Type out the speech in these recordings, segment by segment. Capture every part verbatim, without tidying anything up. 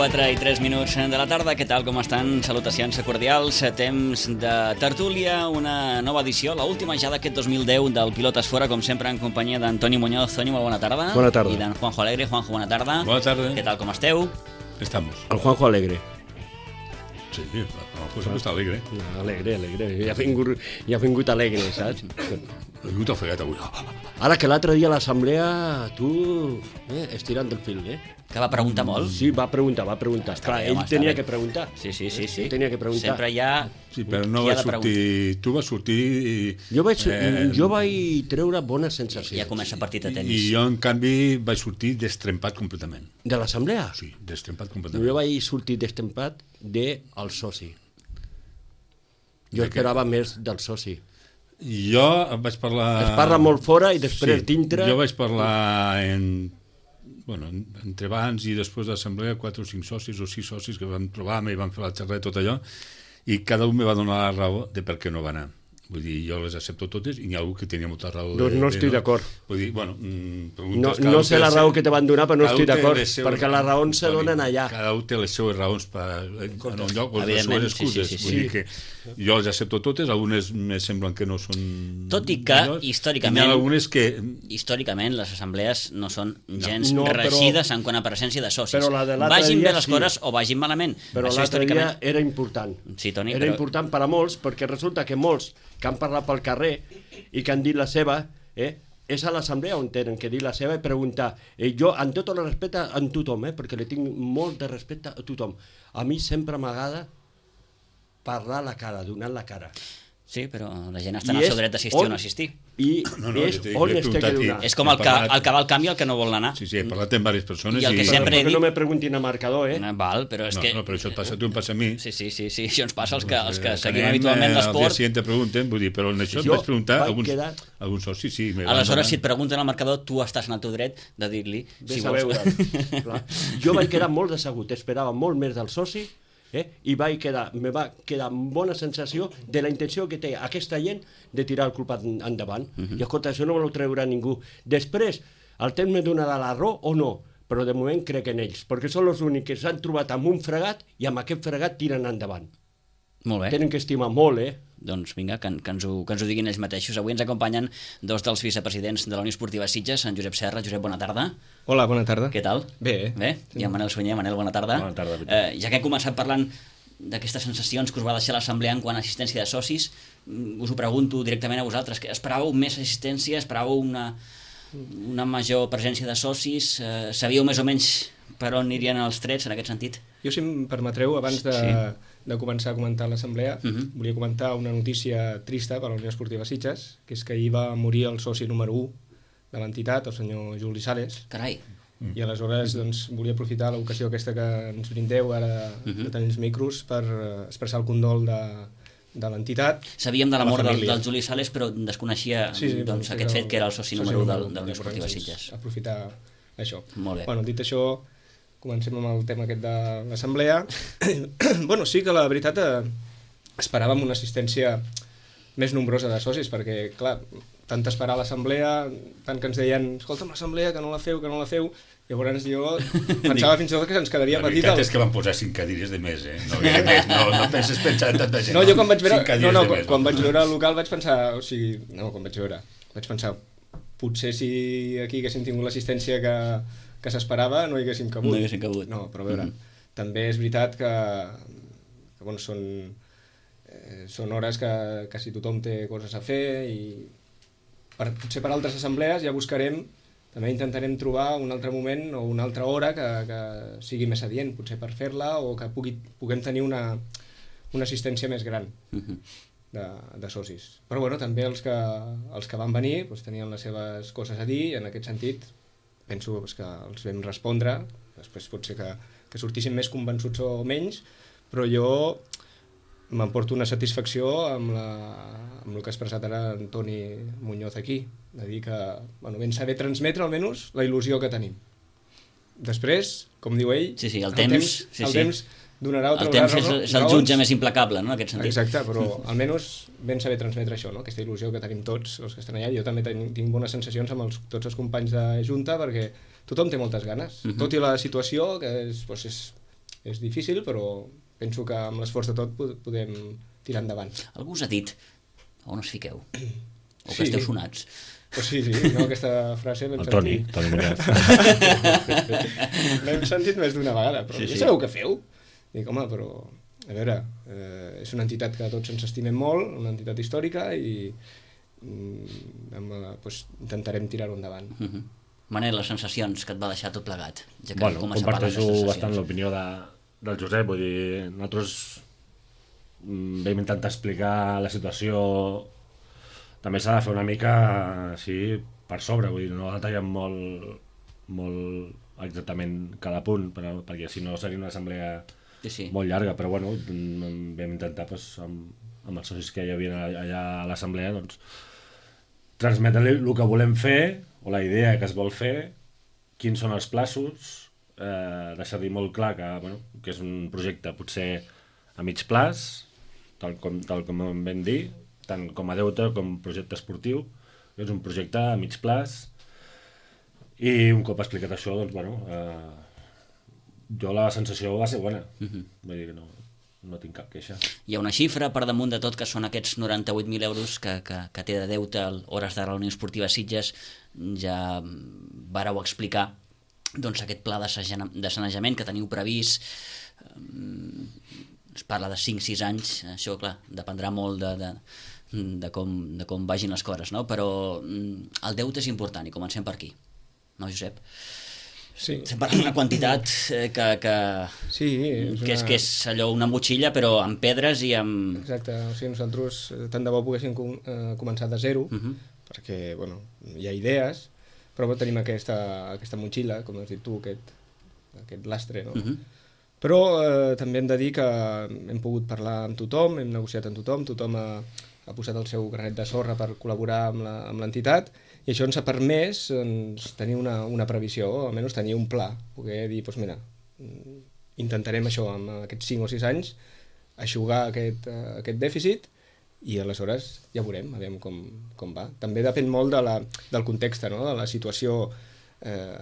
quatre i tres minuts de la tarda. Què tal, com estan? Salutacions cordials. Temps de tertúlia, una nova edició, l'última ja d'aquest dos mil deu del Pilotes Fora, com sempre en companyia d'Antoni Muñoz. Toni, molt bona tarda. Bona tarda. I d'en Juanjo Alegre. Juanjo, bona tarda. Bona tarda. Què tal, com esteu? Estamos. El Juanjo Alegre. Sí, el Juanjo està alegre. Alegre, alegre. Ja ha vingut, ja ha vingut alegre, saps? Ha vingut ofegat avui. Ara que l'altre dia a l'assemblea, tu, eh, estirant del fil, eh? Que va preguntar molt. Sí, va preguntar, va preguntar. Està Clar, bé, ell home, està tenia bé. que preguntar. Sí, sí, sí. sí. Ell tenia que preguntar. Sempre hi ha... Sí, però no qui ha va de sortir... Tu vas sortir i... Jo vaig, Eh, jo vaig treure bones sensacions. Ja comença el partit de I tenis. jo, en canvi, vaig sortir destrempat completament. De l'assemblea? Sí, destrempat completament. Jo vaig sortir destempat del soci. Jo De què? esperava més del soci. Jo vaig parlar... Es parla molt fora i després sí, dintre... Jo vaig parlar en... Bueno, entre abans i després de l'assemblea, quatre o cinc socis o sis socis que van trobar-me i van fer la xerrada i tot allò, i cada un me va donar la raó de per què no va anar. Vull dir, jo les accepto totes i n'hi ha algú que tenia molta raó. Doncs de, no de, estic d'acord. Vull dir, bueno... Mm, No, preguntes, cada no un sé té la les raó seves- que te van donar, però no cada un estic té d'acord, les seves- perquè les raons se Toni, donen allà. Cada un té les seves raons per, en un lloc, o les Evidentment, seves sí, sí, excuses. sí, sí. Vull dir que jo les accepto totes, algunes me semblen que no són... Tot i que, millors, històricament- i n'hi ha algunes que... Històricament, les assemblees no són gens No, però- regides en quant a presència de socis. Però la de l'altre Vagin dia bé les sí. coses o vagin malament. Però Això l'altre dia històricament... era important. Sí, Toni, era però- important per a molts, perquè resulta que molts que han parlat pel carrer i que han dit la seva, eh, és a l'assemblea on tenen que dir la seva i preguntar. Eh, jo, amb tot el respecte a tothom, eh, perquè li tinc molt de respecte a tothom, a mi sempre m'agrada parlar a la cara, donar la cara. Sí, però la gent està en I el seu és dret d'assistir o on- no assistir. I No, no, és jo t'he- on jo he es té que preguntat i- donar. És com He el que, parlat- el que va al canvi i el que no vol anar. Sí, sí, he parlat amb diverses persones I el que i... sempre he Però dit... no me preguntin a marcador, eh? No, val, però és No, que... no, però això et passa a tu, em passa a mi. Sí, sí, sí, sí, això ens passa als que, als que Eh, seguim anem, habitualment eh, l'esport. Al dia següent te pregunten, vull dir, però en això et Jo vaig preguntar vaig alguns, quedar- alguns socis, sí. me van Aleshores, donar. si et pregunten al marcador, tu estàs en el teu dret de dir-li si Ves a vols. veure. Clar. Jo vaig quedar molt decebut, esperava molt més del soci, eh? I vaig quedar, me va quedar amb bona sensació de la intenció que té aquesta gent de tirar el culpat endavant. Uh -huh. I escolta, això no me lo treurà ningú. Després, el temps me donarà la raó o no, però de moment crec en ells, perquè són els únics que s'han trobat amb un fregat i amb aquest fregat tiren endavant. Molt bé. Tenen que estimar molt, eh? Doncs vinga, que, que, ens ho, que ens ho diguin ells mateixos. Avui ens acompanyen dos dels vicepresidents de la Unió Esportiva Sitges, en Josep Serra. Josep, bona tarda. Hola, bona tarda. Què tal? Bé. Bé? I en Manel Sunyer. Manel, bona tarda. Bona tarda. Eh, ja que he començat parlant d'aquestes sensacions que us va deixar l'assemblea en quant a assistència de socis, mm, us ho pregunto directament a vosaltres. Que esperàveu més assistència? Esperàveu una, una major presència de socis? Eh, sabíeu més o menys per on anirien els trets en aquest sentit? Jo, si em permetreu, abans de, Sí. de començar a comentar l'assemblea, Uh -huh. volia comentar una notícia trista per a la Unió Esportiva Sitges, que és que ahir va morir el soci número u de l'entitat, el senyor Juli Sales, Carai. i aleshores doncs, volia aprofitar l'ocasió aquesta que ens brindeu ara Uh -huh. de tenir els micros per eh, expressar el condol de, de l'entitat. Sabíem de la La mort del, família. del Juli Sales, però desconeixia Sí, sí, doncs, doncs, aquest és fet que era el soci número u de, de la Unió Esportiva doncs, Sitges. Aprofitar això. Molt bé. Bueno, dit això, comencem amb el tema aquest de l'assemblea. Bueno, sí que la veritat eh, esperàvem una assistència més nombrosa de socis, perquè, clar, tant esperar l'assemblea, tant que ens deien, escolta'm, l'assemblea, que no la feu, que no la feu, llavors jo pensava fins i tot que se'ns quedaria La petit. veritat el- és que van posar cinc cadires de més, eh? No, més, no, no penses pensar en tanta gent. No, jo quan vaig veure, Cinc cadires no, no, de quan, més, quan vaig veure el local vaig pensar, o sigui, no, quan vaig veure, vaig pensar, potser si aquí haguéssim tingut l'assistència que, que s'esperava no hi haguéssim cabut. No hi haguéssim cabut. No, però a veure, Mhm. també és veritat que, que bueno, són, eh, són hores que quasi tothom té coses a fer i per, potser per altres assemblees ja buscarem, també intentarem trobar un altre moment o una altra hora que, que sigui més adient, potser per fer-la o que pugui, puguem tenir una, una assistència més gran Uh -huh. de, de socis. Però bueno, també els que, els que van venir doncs, tenien les seves coses a dir i en aquest sentit penso doncs, que els vam respondre, després pot ser que, que sortissin més convençuts o menys, però jo m'emporto una satisfacció amb, la, amb el que ha expressat ara Antoni Muñoz aquí, de dir que bueno, ben saber transmetre almenys la il·lusió que tenim. Després, com diu ell, Sí, sí, el el temps, temps, sí, el sí. temps donarà o El traurà temps és, raó- és el raons. jutge més implacable, no?, en aquest sentit. Exacte, però almenys ben saber transmetre això, no? Aquesta il·lusió que tenim tots els que estan allà. Jo també ten, tinc bones sensacions amb els, tots els companys de Junta perquè tothom té moltes ganes. Mhm. Tot i la situació, que és, doncs és és difícil, però penso que amb l'esforç de tot podem tirar endavant. Algú us ha dit on us fiqueu? O que Sí. esteu sonats? Pues sí, sí, no, aquesta frase l'hem El Toni, sentit. Toni Muñoz. L'hem sentit més d'una vegada, però Sí, sí, sí. ja sabeu què feu? Dic, home, però, a veure, eh, és una entitat que tots ens estimem molt, una entitat històrica, i mm, amb, eh, pues, intentarem tirar-ho endavant. Uh -huh. Manel, les sensacions que et va deixar tot plegat, ja que Bueno, comença a parlar de comparteixo sensacions. bastant l'opinió de, del Josep, vull dir, nosaltres mm, vam intentar explicar la situació, també s'ha de fer una mica així per sobre, vull dir, no detallem molt, molt exactament cada punt, però, perquè si no seria una assemblea Sí, sí. molt llarga, però bueno, mm, vam intentar pues, amb, amb els socis que hi havia allà a l'assemblea doncs, transmetre-li el que volem fer o la idea que es vol fer, quins són els plaços, eh, deixar-li molt clar que, bueno, que és un projecte potser a mig plaç, tal com, tal com em vam dir, tant com a deute com projecte esportiu, és un projecte a mig plaç, i un cop explicat això, doncs, bueno, eh, jo la sensació va ser bona, Uh-huh. vull dir que no, no tinc cap queixa. Hi ha una xifra per damunt de tot que són aquests noranta-vuit mil euros que, que, que té de deute a Hores d'Ara a la Unió Esportiva Sitges. Ja vareu explicar doncs, aquest pla de sage- de sanejament que teniu previst. Um, es parla de cinc sis anys, això clar, dependrà molt de, de, de, com, de com vagin les coses, no? Però um, el deute és important i comencem per aquí, no, Josep? Sí, Estem parlant d'una quantitat eh, que, que, sí, és que, és, una... que és allò una motxilla però amb pedres i amb... Exacte, o sigui, nosaltres eh, tant de bo poguéssim com, eh, començar de zero, Uh -huh. perquè, bueno, hi ha idees, però bueno, tenim aquesta, aquesta motxilla, com has dit tu, aquest, aquest lastre, no? Uh -huh. Però eh, també hem de dir que hem pogut parlar amb tothom, hem negociat amb tothom, tothom ha, ha posat el seu granet de sorra per col·laborar amb la- amb l'entitat, i això ens ha permès doncs, tenir una, una previsió, o almenys tenir un pla, poder dir, doncs mira, mm, intentarem això amb aquests cinc o sis anys, aixugar aquest, eh, aquest dèficit, i aleshores ja veurem, a veure com, com va. També depèn molt de la, del context, no? De la situació eh,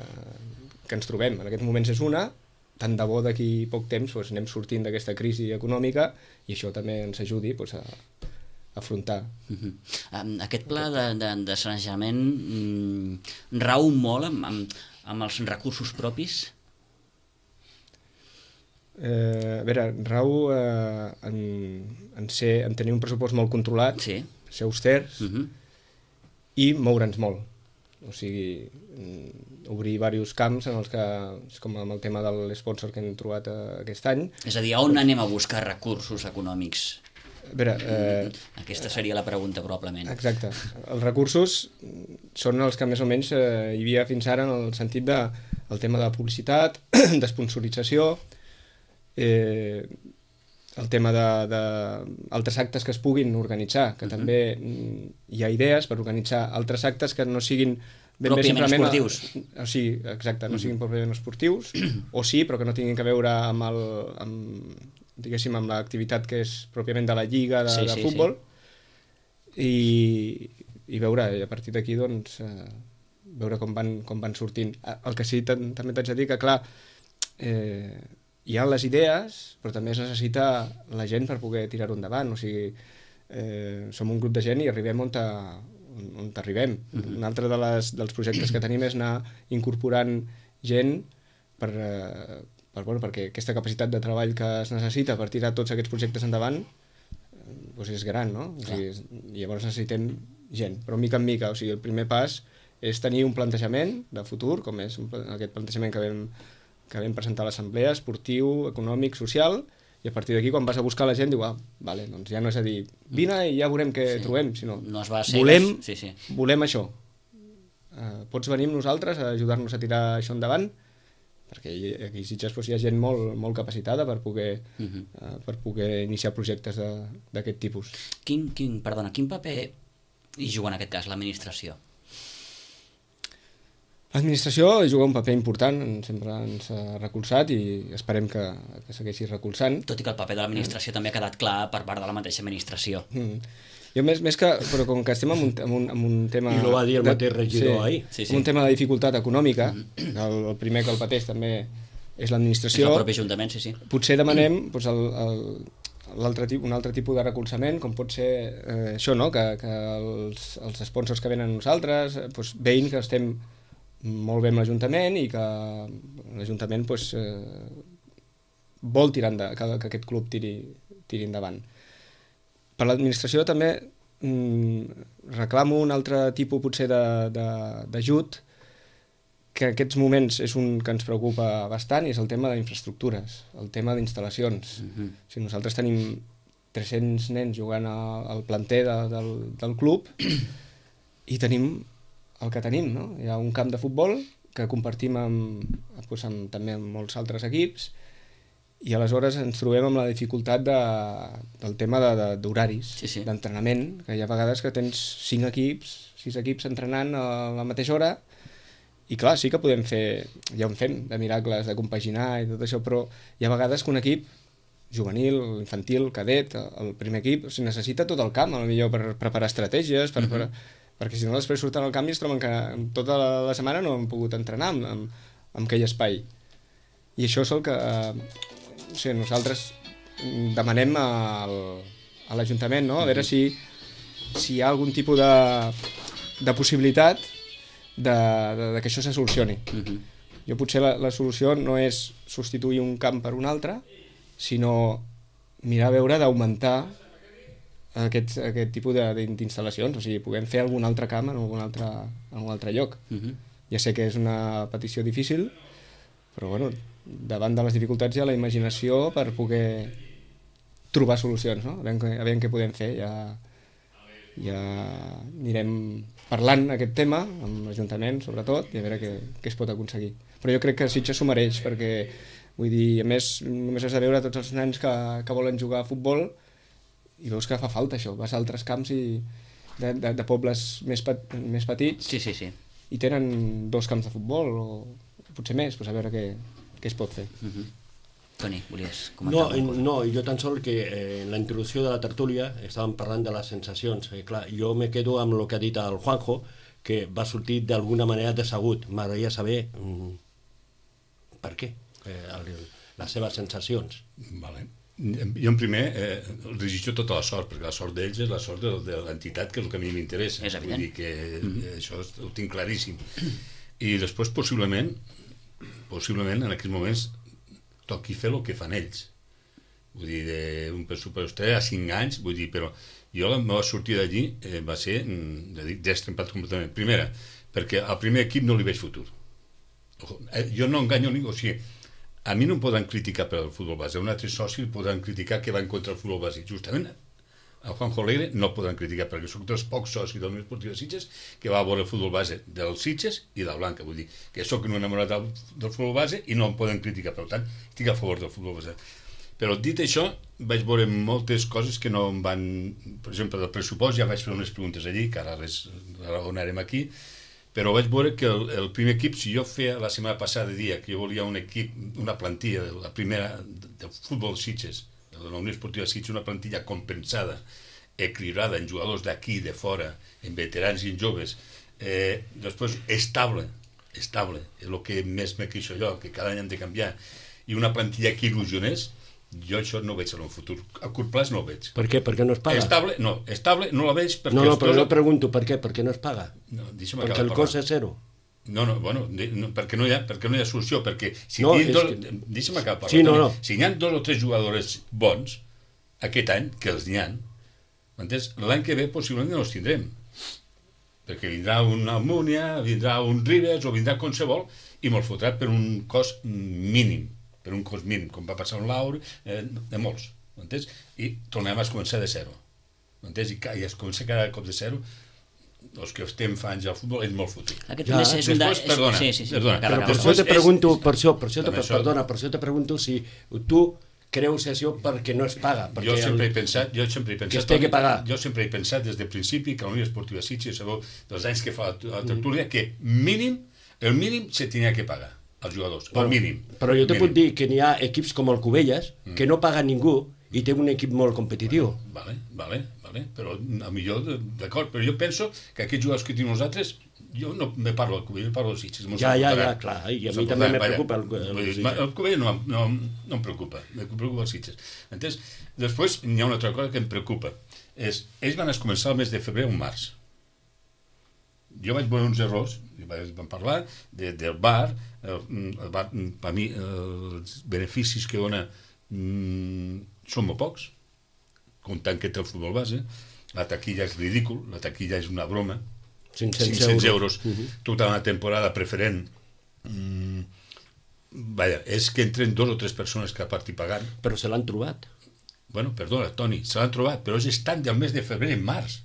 que ens trobem. En aquests moments és una, tant de bo d'aquí poc temps doncs, anem sortint d'aquesta crisi econòmica i això també ens ajudi doncs, a, a afrontar. Uh -huh. um, aquest pla de, de, de sanejament mm, rau molt amb, amb, amb els recursos propis? Eh, a veure, rau eh, en, en, ser, en tenir un pressupost molt controlat, Sí. ser austers Uh -huh. i moure'ns molt. O sigui, mm, obrir diversos camps en els que, és com amb el tema de l'esponsor que hem trobat eh, aquest any. És a dir, on anem a buscar recursos econòmics? A veure, eh, Aquesta seria la pregunta, probablement. exacte. Els recursos són els que més o menys eh, hi havia fins ara en el sentit de el tema de publicitat, d'esponsorització, eh, el tema de, de altres actes que es puguin organitzar, que uh -huh. també mm, hi ha idees per organitzar altres actes que no siguin ben bé Pròpiament simplement esportius. A, o sigui, exacte, no siguin pròpiament esportius, o sí, però que no tinguin que veure amb el, amb, diguéssim, amb l'activitat que és pròpiament de la lliga de, Sí, de sí, futbol, i, i veure, i a partir d'aquí doncs eh, veure com van, com van sortint. El que sí tam- també t'haig de dir que clar, eh, hi ha les idees, però també es necessita la gent per poder tirar-ho endavant, o sigui, eh, som un grup de gent i arribem on, ta, on, on arribem. Uh-huh. Un altre de les, dels projectes que tenim és anar incorporant gent per, eh, per, bueno, perquè aquesta capacitat de treball que es necessita per tirar tots aquests projectes endavant eh, doncs és gran, no? O sigui, és, llavors necessitem gent, però mica en mica, o sigui, el primer pas és tenir un plantejament de futur, com és un, pla- aquest plantejament que vam, que vam presentar a l'assemblea, esportiu, econòmic, social, i a partir d'aquí quan vas a buscar la gent diu, ah, vale, doncs ja no és a dir vine i ja veurem què Sí. trobem, sinó No es va a cegues. volem, Sí, sí. volem això. Uh, pots venir amb nosaltres a ajudar-nos a tirar això endavant? Perquè hi- aquí a Sitges doncs, hi ha gent molt, molt capacitada per poder, Uh -huh. uh, per poder iniciar projectes de- d'aquest tipus. Quin, quin, perdona, quin paper hi juga en aquest cas l'administració? L'administració juga un paper important, sempre ens ha recolzat i esperem que, que segueixi recolzant. Tot i que el paper de l'administració també ha quedat clar per part de la mateixa administració. Mm. Jo més, més que, però com que estem en un, en un, en un tema... I lo va dir el mateix regidor ahir. Sí, sí. Sí. Un tema de dificultat econòmica, el, el primer que el pateix també és És l'administració. el propi Ajuntament, sí, sí. Potser demanem doncs, el, el, l'altre tipus, un altre tipus de recolzament, com pot ser eh, això, no? que, que els, els sponsors que venen a nosaltres doncs, veïn que estem molt bé amb l'Ajuntament i que l'Ajuntament doncs, eh, vol tirar endavant, que, que aquest club tiri, tiri endavant. Per l'administració també mm, reclamo un altre tipus potser d'ajut que en aquests moments és un que ens preocupa bastant i és el tema d'infraestructures, el tema d'instal·lacions. Uh-huh. O sigui, nosaltres tenim tres-cents nens jugant a, al planter de, del, del club i tenim el que tenim, no? Hi ha un camp de futbol que compartim amb, doncs, amb, també amb molts altres equips i aleshores ens trobem amb la dificultat de, del tema d'horaris, de, de, sí, sí. d'entrenament, que hi ha vegades que tens cinc equips, sis equips entrenant a la mateixa hora i clar, sí que podem fer, ja ho fem, de miracles, de compaginar i tot això, però hi ha vegades que un equip juvenil, infantil, cadet, el primer equip, o sigui, necessita tot el camp, potser per preparar estratègies, per, uh-huh. per, perquè si no després surten al camp i es troben que tota la, la setmana no han pogut entrenar amb, amb, amb aquell espai. I això és el que eh, o sigui, nosaltres demanem al, a l'Ajuntament, no? A veure si, si hi ha algun tipus de, de possibilitat de, de, de que això se solucioni. Uh-huh. Jo potser la, la solució no és substituir un camp per un altre, sinó mirar a veure d'augmentar aquest, aquest tipus d'instal·lacions, o sigui, puguem fer algun altre camp en algun altre, en algun altre lloc. Uh-huh. Ja sé que és una petició difícil, però bueno, davant de les dificultats hi ha la imaginació per poder trobar solucions, no? A veure, a veure què podem fer. Ja, ja anirem parlant aquest tema amb l'Ajuntament, sobretot, i a veure què, què es pot aconseguir. Però jo crec que Sitges s'ho mereix, perquè, vull dir, a més, només has de veure tots els nens que, que volen jugar a futbol i veus que fa falta això. Vas a altres camps i de, de, de pobles més, pet, més petits sí, sí, sí. i tenen dos camps de futbol o potser més, doncs a veure què, què es pot fer. Uh-huh. Toni, volies comentar? No, no, jo tan sol que eh, en la introducció de la tertúlia estàvem parlant de les sensacions. Eh, clar, jo me quedo amb el que ha dit el Juanjo, que va sortir d'alguna manera desagut. M'agradaria saber mm, per què, eh, el, les seves sensacions. Vale. Jo en primer eh, el desitjo tota la sort, perquè la sort d'ells és la sort de, de l'entitat, que és el que a mi m'interessa. És evident. Vull dir que mm-hmm. això ho tinc claríssim. I després possiblement, possiblement en aquests moments toqui fer el que fan ells. Vull dir, d'un pressupost a cinc anys, vull dir, però jo la meva sortida d'allí eh, va ser destrempat completament. Primera, perquè al primer equip no li veig futur. Jo no enganyo ningú, o sigui, a mi no em poden criticar per el futbol base, un altre soci poden criticar que va en contra del futbol base. Justament el Juanjo Alegre no poden criticar perquè són dels pocs socis del Unió Esportiva Sitges que va a veure el futbol base dels Sitges i del Blanca, vull dir que soc un enamorat del, del futbol base i no em poden criticar, per tant estic a favor del futbol base. Però dit això vaig veure moltes coses que no em van, per exemple del pressupost ja vaig fer unes preguntes allí que ara les raonarem aquí, però vaig veure que el, el primer equip, si jo feia la setmana passada dia que jo volia un equip, una plantilla de la primera del futbol Sitges de la Unió Esportiva Sitges, una plantilla compensada, equilibrada en jugadors d'aquí, de fora, en veterans i en joves, eh, després estable, estable, és el que més me queixo jo, que cada any hem de canviar, i una plantilla que il·lusionés, jo això no ho veig en el futur. A curt plaç no ho veig. Per què? Perquè no es paga? Estable, no, estable no la veig perquè... No, no, però jo pregunto per què, perquè no es paga. No, perquè el cost és zero. No, no, bueno, no, perquè, no hi ha, perquè no hi ha solució, perquè si no, dos, que... deixa'm acabar, sí, no, no. Si hi ha dos o tres jugadors bons aquest any, que els n'hi ha, m'entens? L'any que ve possiblement no els tindrem, perquè vindrà un Almúnia, vindrà un Ribes o vindrà qualsevol i me'l fotrà per un cost mínim, per un cost mínim, com va passar un Laur, eh, de molts, m'entens? I tornem a començar de zero, m'entens? I, I es comença cada cop de zero. Els que estem fans al futbol és molt fotut. Aquest ja, és un després, de... perdona, sí, sí, sí. perdona. Però per això te pregunto, per això, per això te, perdona, per això te pregunto si tu creus això perquè no es paga. Jo sempre he pensat, jo sempre he pensat, que es té que pagar. Jo sempre he pensat des del principi que la Unió Esportiva Sitges, sabeu, dels anys que fa la tertúlia, que mínim, el mínim se tenia que pagar als jugadors, el mínim. Però jo te puc dir que n'hi ha equips com el Cubelles que no paga ningú i té un equip molt competitiu. Vale, vale, vale, però a millor, d'acord, però jo penso que aquests jugadors que tenim nosaltres, jo no me parlo del Cubell, parlo dels Sitges. Ja, ja, ja, clar, i a mi també me preocupa el, el, el, el Cubell no, no, no em preocupa, em preocupa els Sitges. Entens? Després hi ha una altra cosa que em preocupa, és, ells van començar el mes de febrer o març. Jo vaig veure uns errors, vam parlar de, del bar, el, el bar, per mi els beneficis que dona mm, són molt pocs, comptant que té el futbol base, la taquilla és ridícul, la taquilla és una broma, cinc-cents euros, uh-huh. tota una temporada preferent. Mm, vaja, és que entren dos o tres persones que a part hi pagant. Però se l'han trobat. Bueno, perdona, Toni, se l'han trobat, però és estan del mes de febrer en març.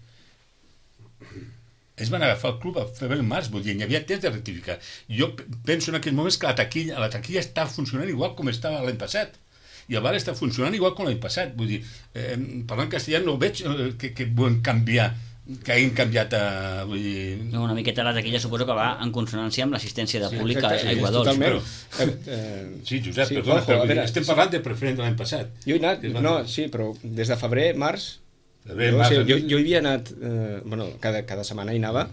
Ells van agafar el club a febrer en març, vull dir, hi havia temps de rectificar. Jo penso en aquells moments que la taquilla, la taquilla està funcionant igual com estava l'any passat. I el bar està funcionant igual com l'any passat. Vull dir, eh, parlant castellà no veig eh, que, que volen canviar, que hagin canviat a... Vull dir... No, una miqueta la taquilla suposo que va en consonància amb l'assistència de públic a sí, Aigua Dols. Totalment. Però... Eh, sí, Josep, sí, perdona, però veure, estem parlant de preferent de l'any passat. Jo he anat, no, sí, però des de febrer, març, febrer, jo, març sí, jo, jo hi havia anat, eh, bueno, cada, cada setmana hi anava,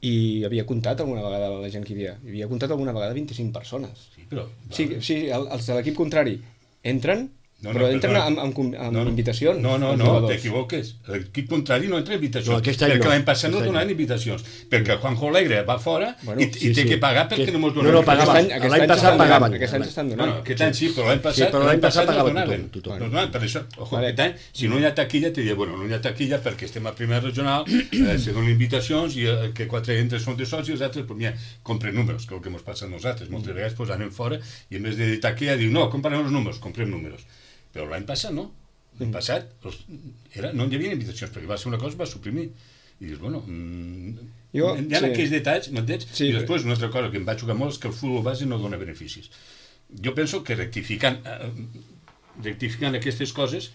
i havia comptat alguna vegada la gent que hi havia. Hi havia comptat alguna vegada vint-i-cinc persones. Sí, però... Sí, sí, els de l'equip contrari entren, no, no, però entren no, amb, amb, amb no, no, invitacions. No, no, no, t'equivoques. L'equip contrari no entra invitacions. No, perquè no, l'any passat no donaven donaven invitacions. Perquè Juanjo Alegre va fora bueno, i, sí, i té sí. que pagar perquè que... no mos No, donaven. no, pagaven. L'any passat pagaven. Aquest any s'estan donant. Bueno, aquest any sí, però l'any passat, sí, però l'any passat pagava no tothom. tothom. No, no, per això, ojo, vale. Aquest any, si no hi ha taquilla, te diria, bueno, no hi ha taquilla perquè estem a primera regional, eh, se donen invitacions i eh, que quatre entres són de socis, els altres, pues mira, compren números, que és el que ens passa a nosaltres. Moltes vegades pues, anem fora i en vez de taquilla diu, no, comprem els números, comprem números. Però l'any passat no. L'any passat els, era, no hi havia invitacions perquè va ser una cosa, va suprimir. I dius, bueno, mmm, jo, hi ha sí. aquells detalls, m'entens? Sí, I després una altra cosa que em va xocar molt és que el futbol base no dona beneficis. Jo penso que rectificant, eh, rectificant aquestes coses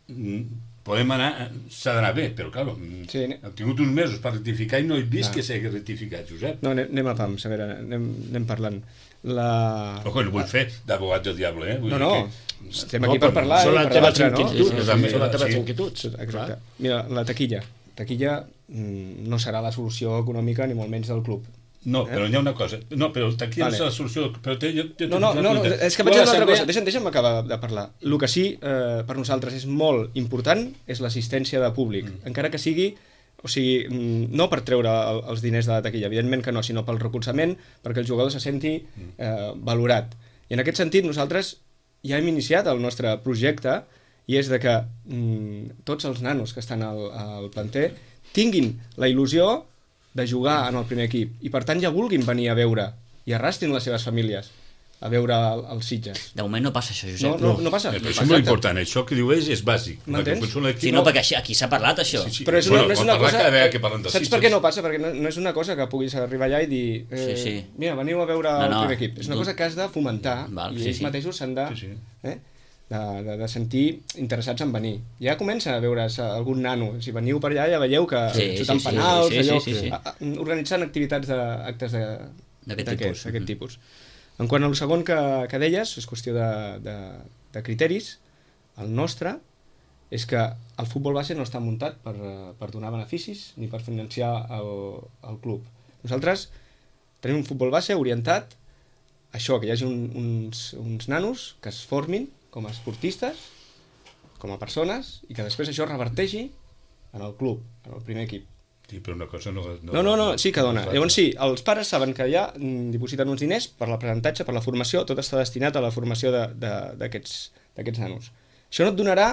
podem anar, s'ha d'anar bé, però clar, sí, hem tingut uns mesos per rectificar i no he vist ah. que s'hagi rectificat, Josep. No, anem a pams, a veure, anem, anem parlant. La... Ojo, no vull fer d'abogat del diable, eh? Vull no, no, que... estem aquí no, per parlar. Són les teves inquietuds, no? Són les teves inquietuds. Exacte. Mira, la taquilla. Taquilla no serà la solució econòmica ni molt menys del club. No, eh? Però hi ha una cosa. No, però taquilla vale. No és la solució. Però té, jo, jo no, no, no, no, és que vaig dir una altra cosa. Deixa'm, deixa'm acabar de parlar. El que sí, eh, per nosaltres és molt important és l'assistència de públic. Mm. Encara que sigui... O sigui, no per treure els diners de la taquilla, evidentment que no, sinó pel recolzament, perquè el jugador se senti eh, valorat. I en aquest sentit nosaltres ja hem iniciat el nostre projecte i és de que mm, tots els nanos que estan al, al planter tinguin la il·lusió de jugar en el primer equip i per tant ja vulguin venir a veure i arrastrin les seves famílies a veure el, els Sitges. De moment no passa això, Josep. No, no, no passa. Eh, però això és molt important, això que diu ells és bàsic. M'entens? Sí, no, perquè aquí s'ha parlat, això. Sí, sí. Però és una, bueno, no és una cosa... Que de saps per què no passa? Perquè no, no és una cosa que puguis arribar allà i dir eh, sí, sí. mira, veniu a veure no, el no. primer equip. És una cosa que has de fomentar Val, i sí, ells sí. mateixos s'han de, sí, sí. eh, de, de, de sentir interessats en venir. Ja comença a veure's algun nano. Si veniu per allà ja veieu que sí, xutant sí, penals, sí, sí, allò, sí, sí, sí. A, a, organitzant activitats de, actes d'aquest tipus. Aquest tipus. En quant al segon que, que deies, és qüestió de, de, de criteris, el nostre és que el futbol base no està muntat per, per donar beneficis ni per financiar el, el club. Nosaltres tenim un futbol base orientat a això, que hi hagi un, uns, uns nanos que es formin com a esportistes, com a persones, i que després això reverteixi en el club, en el primer equip. Sí, però una cosa no... No, no, no, sí que dona. Llavors sí, els pares saben que ja dipositen uns diners per l'aprenentatge, per la formació, tot està destinat a la formació d'aquests nanos. Això no et donarà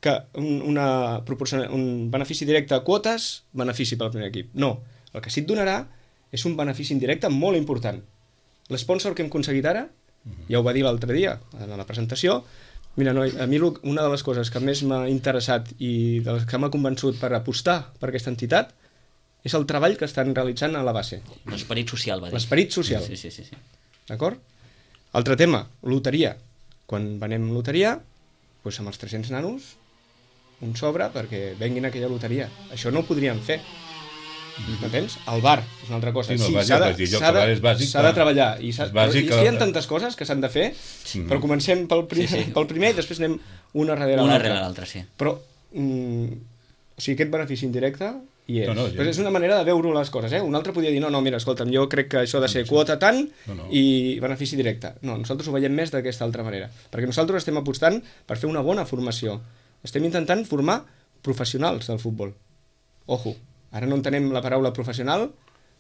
que un, una un benefici directe a quotes, benefici pel primer equip. No, el que sí et donarà és un benefici indirecte molt important. L'esponsor que hem aconseguit ara, ja ho va dir l'altre dia, en la presentació, mira, noi, a mi una de les coses que més m'ha interessat i de les que m'ha convençut per apostar per aquesta entitat és el treball que estan realitzant a la base. L'esperit social, va dir. L'esperit social. Sí, sí, sí, sí. D'acord? Altre tema, loteria. Quan venem loteria, doncs amb els tres-cents nanos, un sobre perquè venguin a aquella loteria. Això no ho podríem fer. m'entens? El bar és una altra cosa. Sí, no, Sí, vaja, s'ha de, vaig dir jo s'ha que de, el bar és bàsic, s'ha de clar. treballar. I, s'ha, És bàsic, però, i hi ha que- tantes coses que s'han de fer, Sí. però comencem pel primer, Sí, sí. pel primer i després anem una darrere Una l'altra. rere l'altra, sí. Però, mm, o sigui, aquest benefici indirecte hi és. No, no, Però ja- és una manera de veure les coses, eh? Un altre podria dir, no, no, mira, escolta'm, jo crec que això ha de ser quota tant No, no. i benefici directe. No, nosaltres ho veiem més d'aquesta altra manera. Perquè nosaltres estem apostant per fer una bona formació. Estem intentant formar professionals del futbol. Ojo, ara no entenem la paraula professional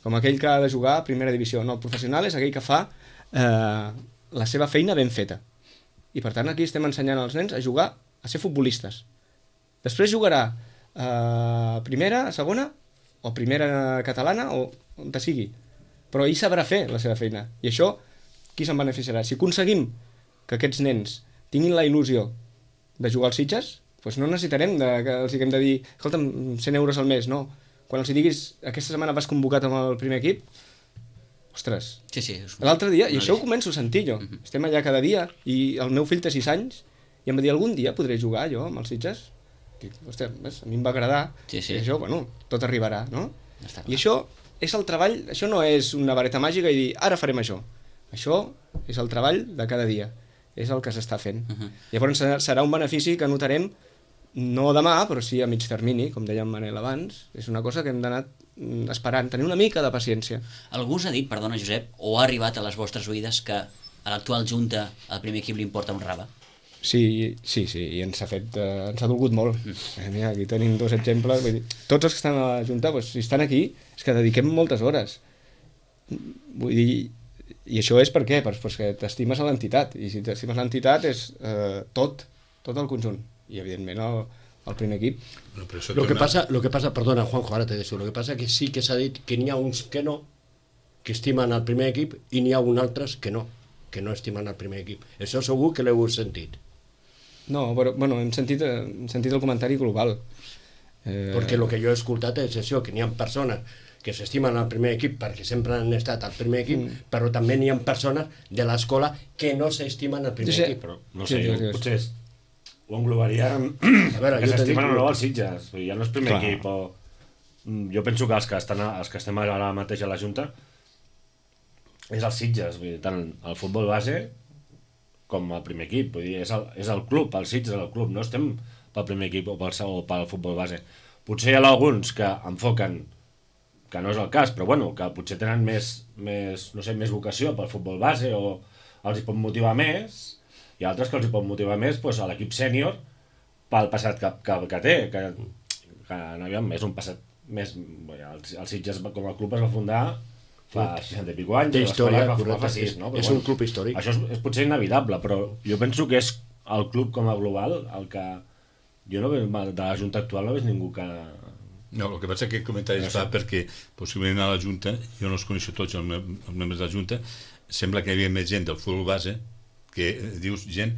com aquell que ha de jugar a primera divisió. No, professional és aquell que fa eh, la seva feina ben feta. I per tant aquí estem ensenyant als nens a jugar, a ser futbolistes. Després jugarà a primera, a segona, o primera catalana, o on te sigui. Però ell sabrà fer la seva feina. I això, qui se'n beneficiarà? Si aconseguim que aquests nens tinguin la il·lusió de jugar als Sitges, doncs no necessitarem de, que els haguem de dir escolta'm, cent euros al mes, no. Quan els diguis aquesta setmana vas convocat amb el primer equip, ostres, Sí, sí. És... l'altre dia, i No, això ho sí. començo a sentir jo, estem allà cada dia, i el meu fill té sis anys, i em va dir, algun dia podré jugar jo amb els Sitges? Dic, hòstia, ves, a mi em va agradar, Sí, sí. i això, bueno, tot arribarà, no? Està clar. I això és el treball, això no és una vareta màgica i dir, ara farem això. Això és el treball de cada dia, és el que s'està fent. Uh -huh. Llavors serà- serà un benefici que notarem no demà, però sí a mig termini, com deia en Manel abans. És una cosa que hem d'anar mm, esperant, tenir una mica de paciència. Algú us ha dit, perdona Josep, o ha arribat a les vostres oïdes que a l'actual junta al primer equip li importa un rave? Sí, sí, sí, i ens ha fet, eh, ens ha dolgut molt. Eh, mira, aquí tenim dos exemples. Vull dir, tots els que estan a la Junta, doncs, si estan aquí, és que dediquem moltes hores. Vull dir, i això és per què? Pues, pues que t'estimes a l'entitat, i si t'estimes l'entitat és eh, tot, tot el conjunt. I evidentment el, el primer equip. Bueno, però això Lo que torna- pasa, lo que pasa, perdona Juanjo, ara te deixo, lo que pasa que sí que s'ha dit que n'hi ha uns que no, que estimen el primer equip, i n'hi ha uns altres que no, que no estimen el primer equip. Això segur que l'heu sentit. No, però bueno, hem sentit, eh, hem sentit el comentari global. Eh, Perquè el que jo he escoltat és això, que n'hi ha persones que s'estimen al primer equip perquè sempre han estat al primer equip, mm. però també n'hi ha persones de l'escola que no s'estimen al primer Jo sé- equip. Però, no Sí, sé, sí, jo, sí. potser és, ho englobaria en, A veure, que jo t'he s'estimen dit- o no els Sitges. Vull dir, ja no és primer Clar. equip. O... Mm, Jo penso que els que, estan a, els que estem ara mateix a la Junta és els Sitges. Vull dir, tant el futbol base com el primer equip. Vull dir, és el, és el club, el Sitges és el club. No estem pel primer equip o pel, o pel futbol base. Potser hi ha alguns que enfoquen que no és el cas, però bueno, que potser tenen més, més, no sé, més vocació pel futbol base o els hi pot motivar més, i altres que els hi pot motivar més doncs, a l'equip sènior pel passat que, que, que té, que, que aviam, és un passat més... Bé, el, el Sitges com a club es va fundar fa seixanta i pico anys, Té i història, l'escola es va formar correcte, fa sis, és- no? Però, és un club històric. Això és, és potser inevitable, però jo penso que és el club com a global el que... Jo no veig, de la Junta actual no veig ningú que... No, el que passa és que aquest comentari es fa perquè possiblement a la Junta, jo no els coneixo tots els, mem els membres de la Junta, sembla que hi havia més gent del futbol base que eh, dius gent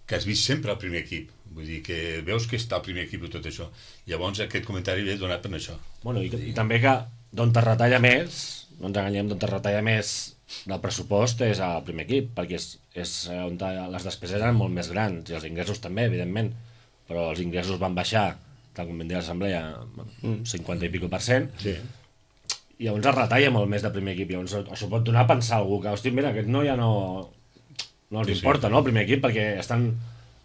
que has vist sempre al primer equip, vull dir que veus que està al primer equip i tot això, llavors aquest comentari ve donat per això. Bueno, i, i també que d'on te retalla més, no ens enganyem, d'on te retalla més del pressupost és al primer equip, perquè és, és on te, les despeses eren molt més grans, i els ingressos també, evidentment, però els ingressos van baixar, tal com vam dir a l'assemblea, cinquanta i pico per cent, Sí. i llavors es retalla molt més de primer equip, llavors això pot donar a pensar a algú que, hosti, mira, aquest no ja no, no els Sí, sí. importa, no, el primer equip, perquè estan...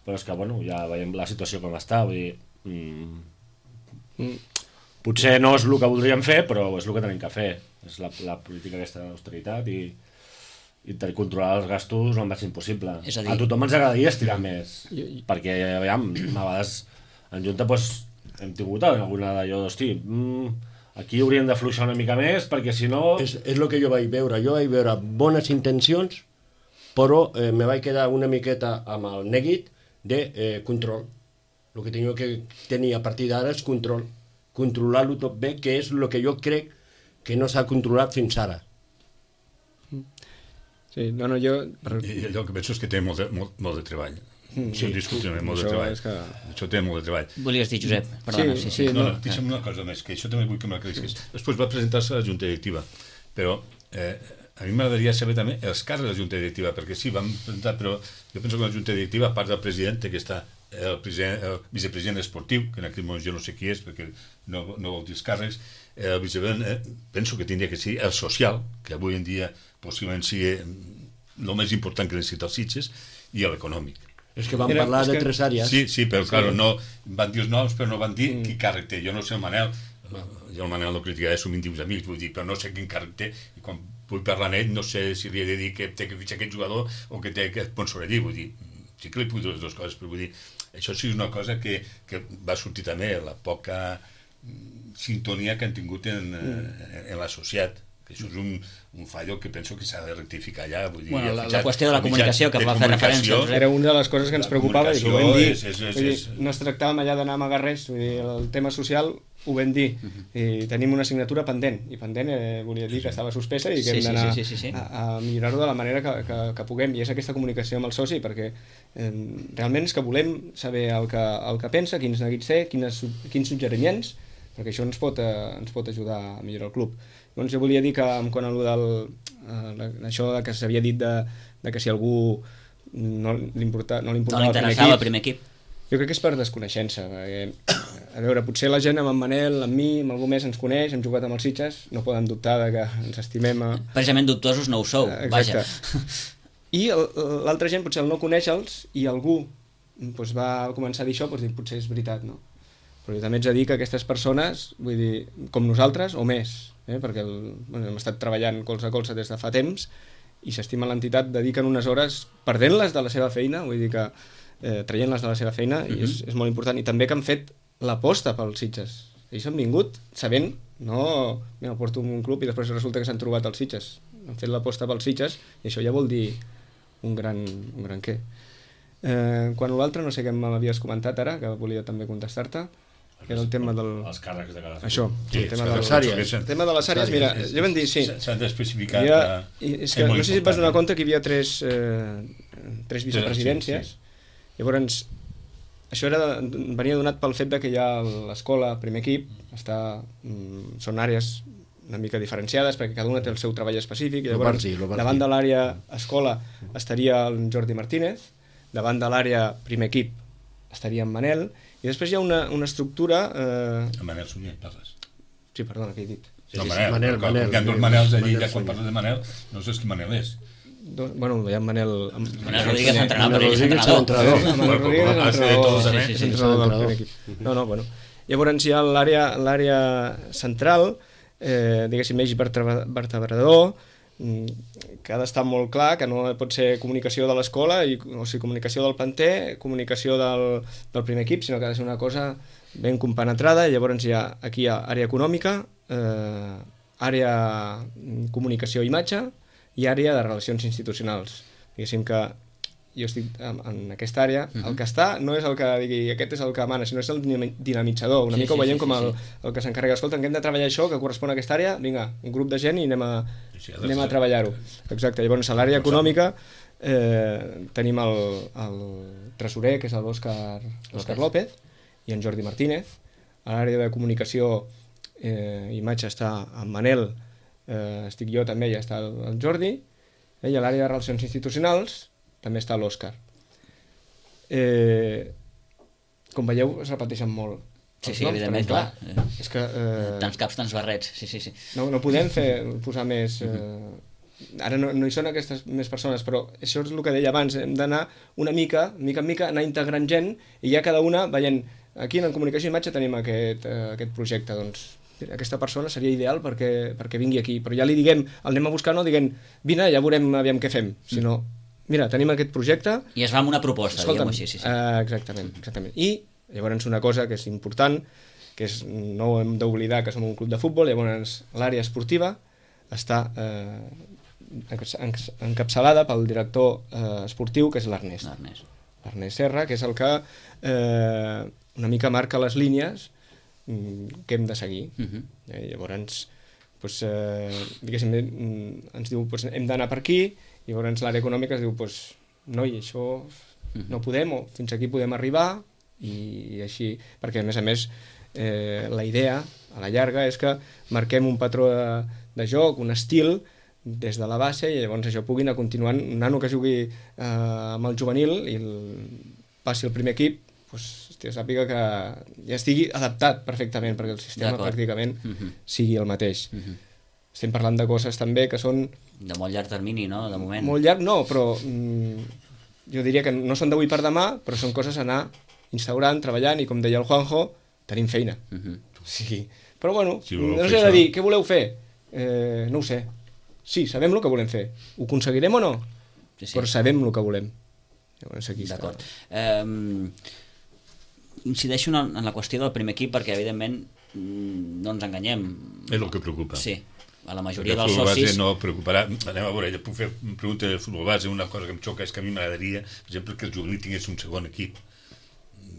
Però és que, bueno, ja veiem la situació com està, vull dir... Mm, potser no és el que voldríem fer, però és el que tenim que fer. És la, la política aquesta d'austeritat i, i tenir- controlar els gastos el màxim possible. És a dir- A tothom ens agradaria estirar més, perquè, aviam, a vegades en Junta doncs, hem tingut alguna d'allò, hosti, mm, aquí hauríem d'afluixar una mica més, perquè si no... És, és el que jo vaig veure. Jo vaig veure bones intencions, però eh, me vaig quedar una miqueta amb el neguit de eh, control. El que tenia que tenir a partir d'ara és control. Controlar-lo tot bé, que és el que jo crec que no s'ha controlat fins ara. Sí, no, no, jo... Per... I allò que penso és que té molt de, molt, molt de treball. Mm, Sí, discutiblement, molt de això treball. és que... Això té molt de treball. Volies dir, Josep? Perdona, Sí, sí, sí, sí. No, no. no, deixa'm una cosa més, que això també vull que m'aclarisquis. Després va presentar-se a la Junta Directiva, però eh, a mi m'agradaria saber també els càrrecs de la Junta Directiva, perquè sí, vam presentar, però jo penso que la Junta Directiva, a part del president, que està el, president, el vicepresident esportiu, que en aquest moment jo no sé qui és, perquè no, no vol dir els càrrecs, el vicepresident, eh, penso que tindria que ser el social, que avui en dia possiblement sigui el més important que necessita els Sitges, i l'econòmic. És que van Era, parlar de que... tres àrees. Sí, sí, però sí. Claro, no, van dir els noms, però no van dir mm. qui càrrec té. Jo no sé el Manel, jo el Manel no criticaré, som íntims amics, vull dir, però no sé quin càrrec té, i quan vull parlar amb ell, no sé si li he de dir que té que fitxar aquest jugador o que té que sponsor allí, vull dir, sí que li puc dir les dues coses, però vull dir, això sí és una cosa que, que va sortir també, la poca sintonia que han tingut en, en, en la societat, que això és un, un fallo que penso que s'ha de rectificar allà. Vull dir, bueno, la, la qüestió de la comunicació que va fer referència. Era una de les coses que ens preocupava i ho vam dir, és, és, és, vull dir, no es tractàvem allà d'anar a amagar res, vull dir, el tema social ho vam dir, uh-huh. i tenim una assignatura pendent, i pendent eh, volia dir que estava suspesa i que sí, hem d'anar sí, sí, sí, sí. a, a millorar-ho de la manera que, que, que puguem, i és aquesta comunicació amb el soci, perquè eh, realment és que volem saber el que, el que pensa, quins neguits té, quines, quins suggeriments, perquè això ens pot, eh, ens pot ajudar a millorar el club. Doncs jo volia dir que quan allò del, eh, això que s'havia dit de, de que si algú no li importava no, no li interessava el primer equip, jo crec que és per desconeixença, perquè, a veure, potser la gent amb en Manel, amb mi, amb algú més ens coneix, hem jugat amb els Sitges, no poden dubtar de que ens estimem a... Precisament dubtosos no ho sou, eh, vaja. I l'altra gent potser al no conèixer-los i algú doncs, va començar a dir això, doncs, dir, potser és veritat, no? Però jo també ets a dir que aquestes persones, vull dir, com nosaltres o més, eh? perquè el, bueno, hem estat treballant colze a colze des de fa temps i s'estima l'entitat, dediquen unes hores perdent-les de la seva feina, vull dir que eh, traient-les de la seva feina, mm-hmm. i és, és molt important, i també que han fet l'aposta pels Sitges. Ells han vingut sabent, no, mira, porto un club i després resulta que s'han trobat els Sitges, han fet l'aposta pels Sitges i això ja vol dir un gran, un gran què. Eh, quan l'altre, no sé què m'havies comentat ara, que volia també contestar-te, que era el tema del... Els càrrecs de cada... Això, sí, el tema de les àrees. El tema de les àrees, mira, ja vam dir, sí. S'han d'especificar que... És que no sé si et vas donar compte que hi havia tres, eh, tres vicepresidències. Sí, sí. Llavors, això era, venia donat pel fet de que ja l'escola, primer equip, està, mm, són àrees una mica diferenciades perquè cada una té el seu treball específic. Llavors, Lobardi, Lobardi. Davant de l'àrea escola estaria el Jordi Martínez, davant de l'àrea primer equip estaria en Manel, i després hi ha una, una estructura... Eh... El Manel Sunyer, parles. Sí, perdona, què he dit? Sí, no, Manel, Manel, Manel, Manel, hi ha dos Manels allí, ja quan parles de Manel, no saps qui Manel és. Dos, bueno, hi ha Manel... Manel Rodríguez entrenador, però ell és entrenador. Manel Rodríguez és entrenador del primer equip. No, no, bueno. Llavors hi ha l'àrea central, eh, diguéssim, eix vertebrador, que ha d'estar molt clar, que no pot ser comunicació de l'escola, o sigui, comunicació del planter, comunicació del, del primer equip, sinó que ha de ser una cosa ben compenetrada, i llavors hi ha, aquí hi ha àrea econòmica, eh, àrea comunicació i imatge, i àrea de relacions institucionals. Diguéssim que jo estic en, en aquesta àrea, uh-huh. el que està no és el que digui aquest és el que mana, sinó és el dinamitzador. Una sí, mica ho veiem sí, sí, com el, sí. el que s'encarrega. Escolta, que hem de treballar això, que correspon a aquesta àrea, vinga, un grup de gent i anem a, sí, anem a treballar-ho. Exacte, llavors a l'àrea econòmica eh, tenim el, el tresorer, que és l'Òscar López, i en Jordi Martínez. A l'àrea de comunicació eh, imatge està en Manel, eh, estic jo també, ja està el, el Jordi, eh, i a l'àrea de relacions institucionals també està l'Òscar. Eh, com veieu, es repeteixen molt. Sí, sí, evidentment, clar. clar. És que, eh, tants caps, tants barrets, sí, sí, sí. No, no podem fer, posar més... Eh, ara no, no hi són aquestes més persones, però això és el que deia abans, hem d'anar una mica, mica en mica, anar integrant gent, i ja cada una veient, aquí en comunicació i imatge tenim aquest, eh, aquest projecte, doncs aquesta persona seria ideal perquè, perquè vingui aquí, però ja li diguem, el anem a buscar, no diguem, vine, ja veurem aviam què fem, sinó... Mira, tenim aquest projecte... I es va amb una proposta, diguem-ho així. Sí, sí. Uh, exactament, exactament. I llavors una cosa que és important, que és, no hem d'oblidar que som un club de futbol, llavors l'àrea esportiva està eh, encapçalada pel director eh, esportiu, que és l'Ernest. L'Ernest Serra, que és el que eh, una mica marca les línies que hem de seguir. Uh-huh. eh, llavors, pues, eh, diguéssim, ens diu pues, hem d'anar per aquí, i llavors l'àrea econòmica es diu, pues, noi, això no podem, o fins aquí podem arribar, i, i així, perquè a més a més eh, la idea a la llarga és que marquem un patró de, de joc, un estil des de la base i llavors això pugui anar continuant. Un nano que jugui eh, amb el juvenil i el, passi al primer equip, doncs, hòstia, sàpiga que ja estigui adaptat perfectament perquè el sistema pràcticament uh-huh. sigui el mateix. Uh-huh. Estem parlant de coses també que són... De molt llarg termini, no?, de moment. Molt llarg, no, però mm, jo diria que no són d'avui per demà, però són coses a anar instaurant, treballant, i com deia el Juanjo, tenim feina. Uh-huh. Sí. Però bueno, si no us he de dir, què voleu fer? Eh, no ho sé. Sí, sabem el que volem fer. Ho aconseguirem o no? Sí, sí. Però sabem el que volem. Llavors aquí està. D'acord. Eh, incideixo en, en la qüestió del primer equip perquè, evidentment, no ens enganyem. És el que preocupa. Sí. A la majoria dels socis... no preocuparà. Anem a veure, puc fer una pregunta del futbol base. Una cosa que em xoca és que a mi m'agradaria, per exemple, que el juvenil tingués un segon equip.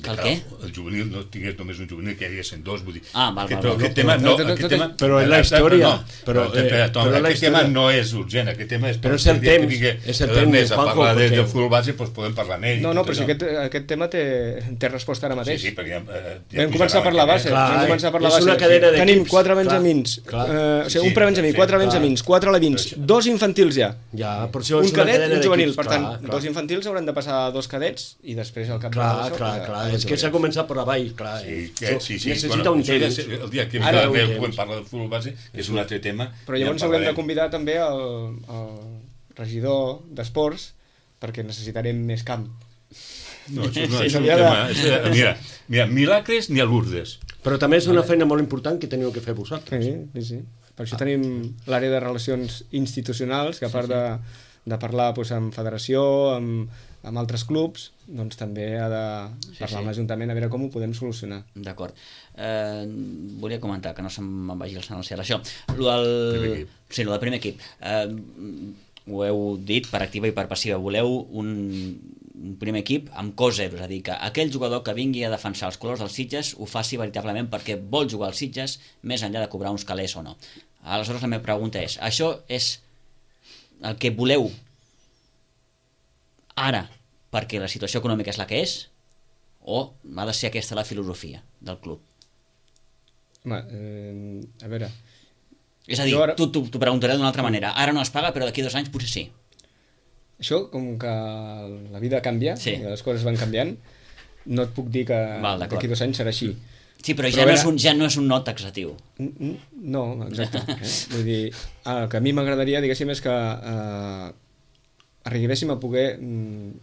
Que el què? El juvenil no tingués només un juvenil, que hi haguessin dos, vull dir... Ah, val, val, però val. aquest tema no... Aquest tema, però en la història... Però, eh, però, però aquest tema no és urgent, aquest tema és... Però és el temps, és el temps, a parlar del futbol base, doncs podem parlar amb ell. No, no, però si aquest, aquest tema té, té resposta ara mateix. Sí, sí, perquè... Eh, vam començar per la base, vam començar per la base. És una cadena d'equips. Tenim quatre benjamins, o sigui, un prebenjamí, quatre benjamins, quatre alevins, dos infantils ja. Ja, per això un cadet i un juvenil, per tant, dos infantils hauran de passar a dos cadets i després al cap de l'això... Clar, clar, clar, és que s'ha començat per avall, clar. Sí, que, sí, sí. Necessita bueno, un temps. El dia que ara podem parlar del futbol base, que és un altre tema. Però llavors haurem de convidar també el, el regidor d'esports perquè necessitarem més camp. No, això no, és un tema... És, mira, mira, milagres ni a Lourdes. Però també és una feina molt important que teniu que fer vosaltres. Sí, sí, sí. Per això tenim l'àrea de relacions institucionals, que a part de, de parlar doncs, amb federació, amb, amb altres clubs, doncs també ha de parlar sí, sí. amb l'Ajuntament a veure com ho podem solucionar. D'acord. Eh, volia comentar, que no se'm vagi el sant al cel, això. Lo del... Sí, lo del primer equip. Eh, ho heu dit per activa i per passiva. Voleu un, un primer equip amb cos zero, és a dir, que aquell jugador que vingui a defensar els colors dels Sitges ho faci veritablement perquè vol jugar als Sitges més enllà de cobrar uns calés o no. Aleshores la meva pregunta és, això és el que voleu ara perquè la situació econòmica és la que és o ha de ser aquesta la filosofia del club? Home, eh, a veure... És a dir, ara... tu t'ho preguntaré d'una altra manera. Ara no es paga, però d'aquí dos anys potser sí. Això, com que la vida canvia, sí. I les coses van canviant, no et puc dir que Val, d'aquí dos anys serà així. Sí, però, però ja, veure... no és un, ja no és un no taxatiu. No, exacte. Eh? Vull dir, el que a mi m'agradaria, diguéssim, és que eh, arribéssim a poder... Mm,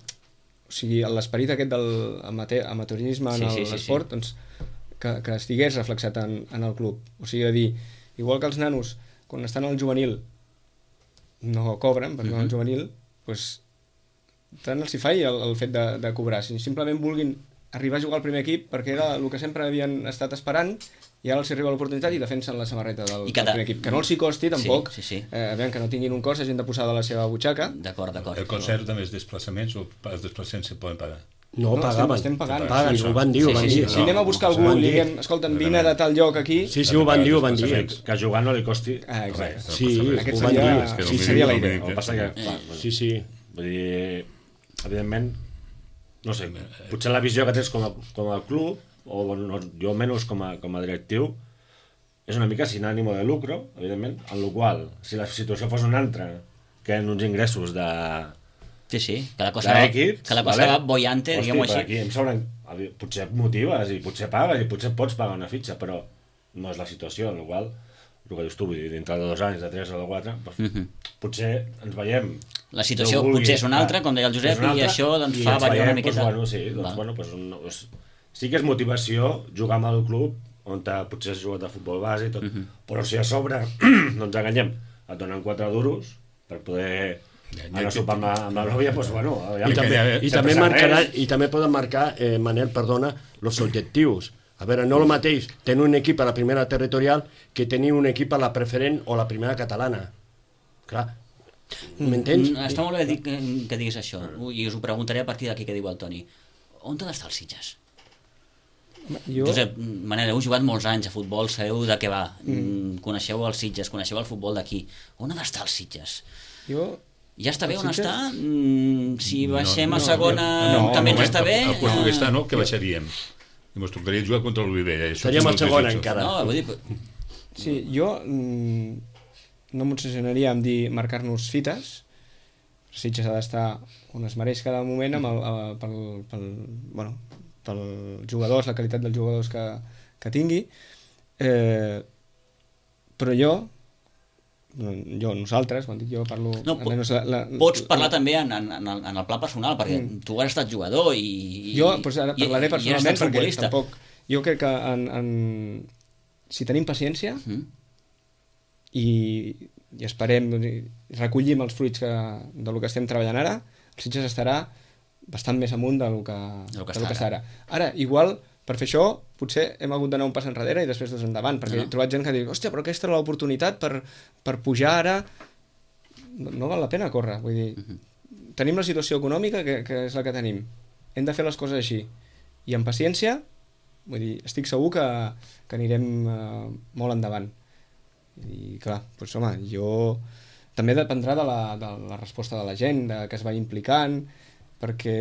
o sigui, l'esperit aquest del amateurisme en sí, sí, l'esport, sí, sí. Doncs, que, que estigués reflexat en, en el club. O sigui, a dir, igual que els nanos, quan estan al juvenil, no cobren, perquè uh-huh. al juvenil, doncs, tant els hi faig el, el fet de, de cobrar. Si simplement vulguin arribar a jugar al primer equip, perquè era el que sempre havien estat esperant, i ara els arriba l'oportunitat i defensen la samarreta del, cada... del primer equip. Que no els hi costi, tampoc, sí, sí, sí. Eh, veure, que no tinguin un cost, hagin de posar de la seva butxaca. D'acord, d'acord. El concert també és desplaçaments o els desplaçaments se poden pagar? No, no pagaven. Estem pagant. Paguen, sí, ho van dir, ho van dir. Si anem a buscar algú i li diem, escolta'm, vine de tal lloc aquí... Sí, sí, ho van dir, ho van dir. Que jugar no li costi ah, res. Sí, ho van dir. Sí, seria la idea. El que passa que... Sí, sí. Vull dir, evidentment, no sé, potser la visió que tens com a, com a club, o no, jo almenys com a, com a directiu, és una mica sin ànimo de lucro, evidentment, en la qual, si la situació fos una altra, que en uns ingressos de... Sí, sí, que la cosa, equips, que la cosa vale? va bollante, diguem-ho així. Aquí em sobren, potser motives i potser pagues i potser pots pagar una fitxa, però no és la situació, en la qual, el que dius tu, vull dir, dintre de dos anys, de tres o de quatre, doncs, uh-huh. potser ens veiem... La situació vulgui, potser és una altra, com deia el Josep, altra, i això doncs, fa variar una miqueta. Doncs, bueno, sí, doncs, bueno, doncs, no, doncs, sí que és motivació jugar amb el club on potser has jugat a futbol base i tot, uh-huh. però si a sobre no ens enganyem, et donen quatre duros per poder anar a sopar amb, amb la nòvia, doncs bueno... I, també, i, també marcarà, i també poden marcar, eh, Manel, perdona, els objectius. A veure, no el mateix tenir un equip a la primera territorial que tenir un equip a la preferent o la primera catalana. Clar, m'entens? Mm, està molt bé dir que, que diguis això, i us ho preguntaré a partir d'aquí que diu el Toni. On ha d'estar el Sitges? Jo... Josep, Manel, heu jugat molts anys a futbol, sabeu de què va, mm. coneixeu els Sitges, coneixeu el futbol d'aquí. On ha d'estar els Sitges? Jo... Ja està bé on està? Mm, si baixem no, no, a segona no, no, també ens està bé? El puesto que està, no, que baixaríem. I ens tocaria jugar contra l'Olivella. Estaríem a segona encara. No, vull dir... Sí, jo... Mm, no m'obsessionaria en dir marcar-nos fites. Sitges ha d'estar on es mereix cada moment amb el, el, pel, pel, bueno, pel jugadors, la qualitat dels jugadors que, que tingui. Eh, però jo, jo, nosaltres, quan dic jo parlo... No, almenys la, la, pots parlar la, també en, en, en, el, en el pla personal, perquè mm. tu has estat jugador i... Jo doncs ara parlaré i, personalment, i perquè tampoc... Jo crec que en, en, si tenim paciència mm. i, i esperem, recollim els fruits que, del que estem treballant ara, el Sitges estarà bastant més amunt del que, del que, del que està ara. Ara, igual, per fer això, potser hem hagut d'anar un pas enrere i després dos endavant, perquè no. he trobat gent que diu, hòstia, però aquesta era l'oportunitat per, per pujar ara. No, no val la pena córrer, vull dir, uh-huh. tenim la situació econòmica que, que és la que tenim. Hem de fer les coses així. I amb paciència, vull dir, estic segur que, que anirem uh, molt endavant. I clar, doncs home, jo... També dependrà de la, de la resposta de la gent, de que es vagi implicant, perquè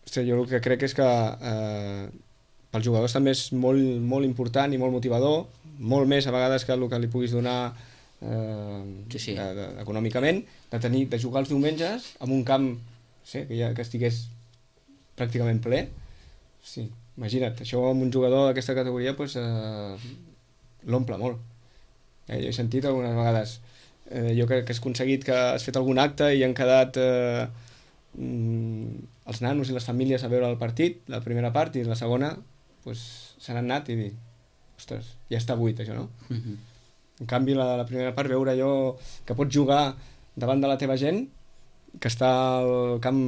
ostres, jo el que crec és que eh, pels jugadors també és molt, molt important i molt motivador, molt més a vegades que el que li puguis donar eh, sí, sí. De, de, econòmicament, de, tenir, de jugar els diumenges en un camp sí, que, ja, que estigués pràcticament ple. Sí, imagina't, això amb un jugador d'aquesta categoria pues, eh, l'omple molt. Eh, jo he sentit algunes vegades eh, jo crec que has aconseguit que has fet algun acte i han quedat eh, mm, els nanos i les famílies a veure el partit, la primera part, i la segona pues, se n'han anat i dir ostres, ja està buit això, no? Mm-hmm. En canvi la, la primera part veure allò que pots jugar davant de la teva gent, que està al camp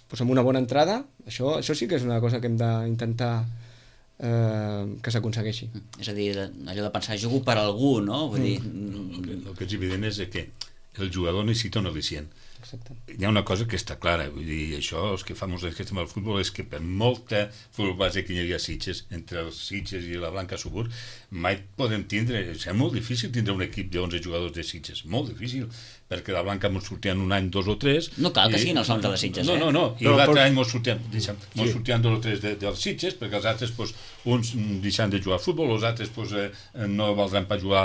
pues, amb una bona entrada, això, això sí que és una cosa que hem d'intentar eh, que s'aconsegueixi. És a dir, allò de pensar, jugo per algú, no? Vull dir... El que, el que és evident és que el jugador necessita un al·licient. Exacte. Hi ha una cosa que està clara, vull dir, això, els que fa molts anys que estem al futbol, és que per molta futbol base que hi havia Sitges, entre els Sitges i la Blanca Subur, mai podem tindre, és molt difícil tindre un equip d'onze jugadors de Sitges, molt difícil, perquè la Blanca ens sortien un any dos o tres... No cal que i, siguin els onze de Sitges, no, eh? No, no, no, i no, l'altre però... any ens sortien, deixa'm, sí. sortien dos o tres de, dels Sitges, perquè els altres, pues, uns deixant de jugar a futbol, els altres pues, eh, no valdran per jugar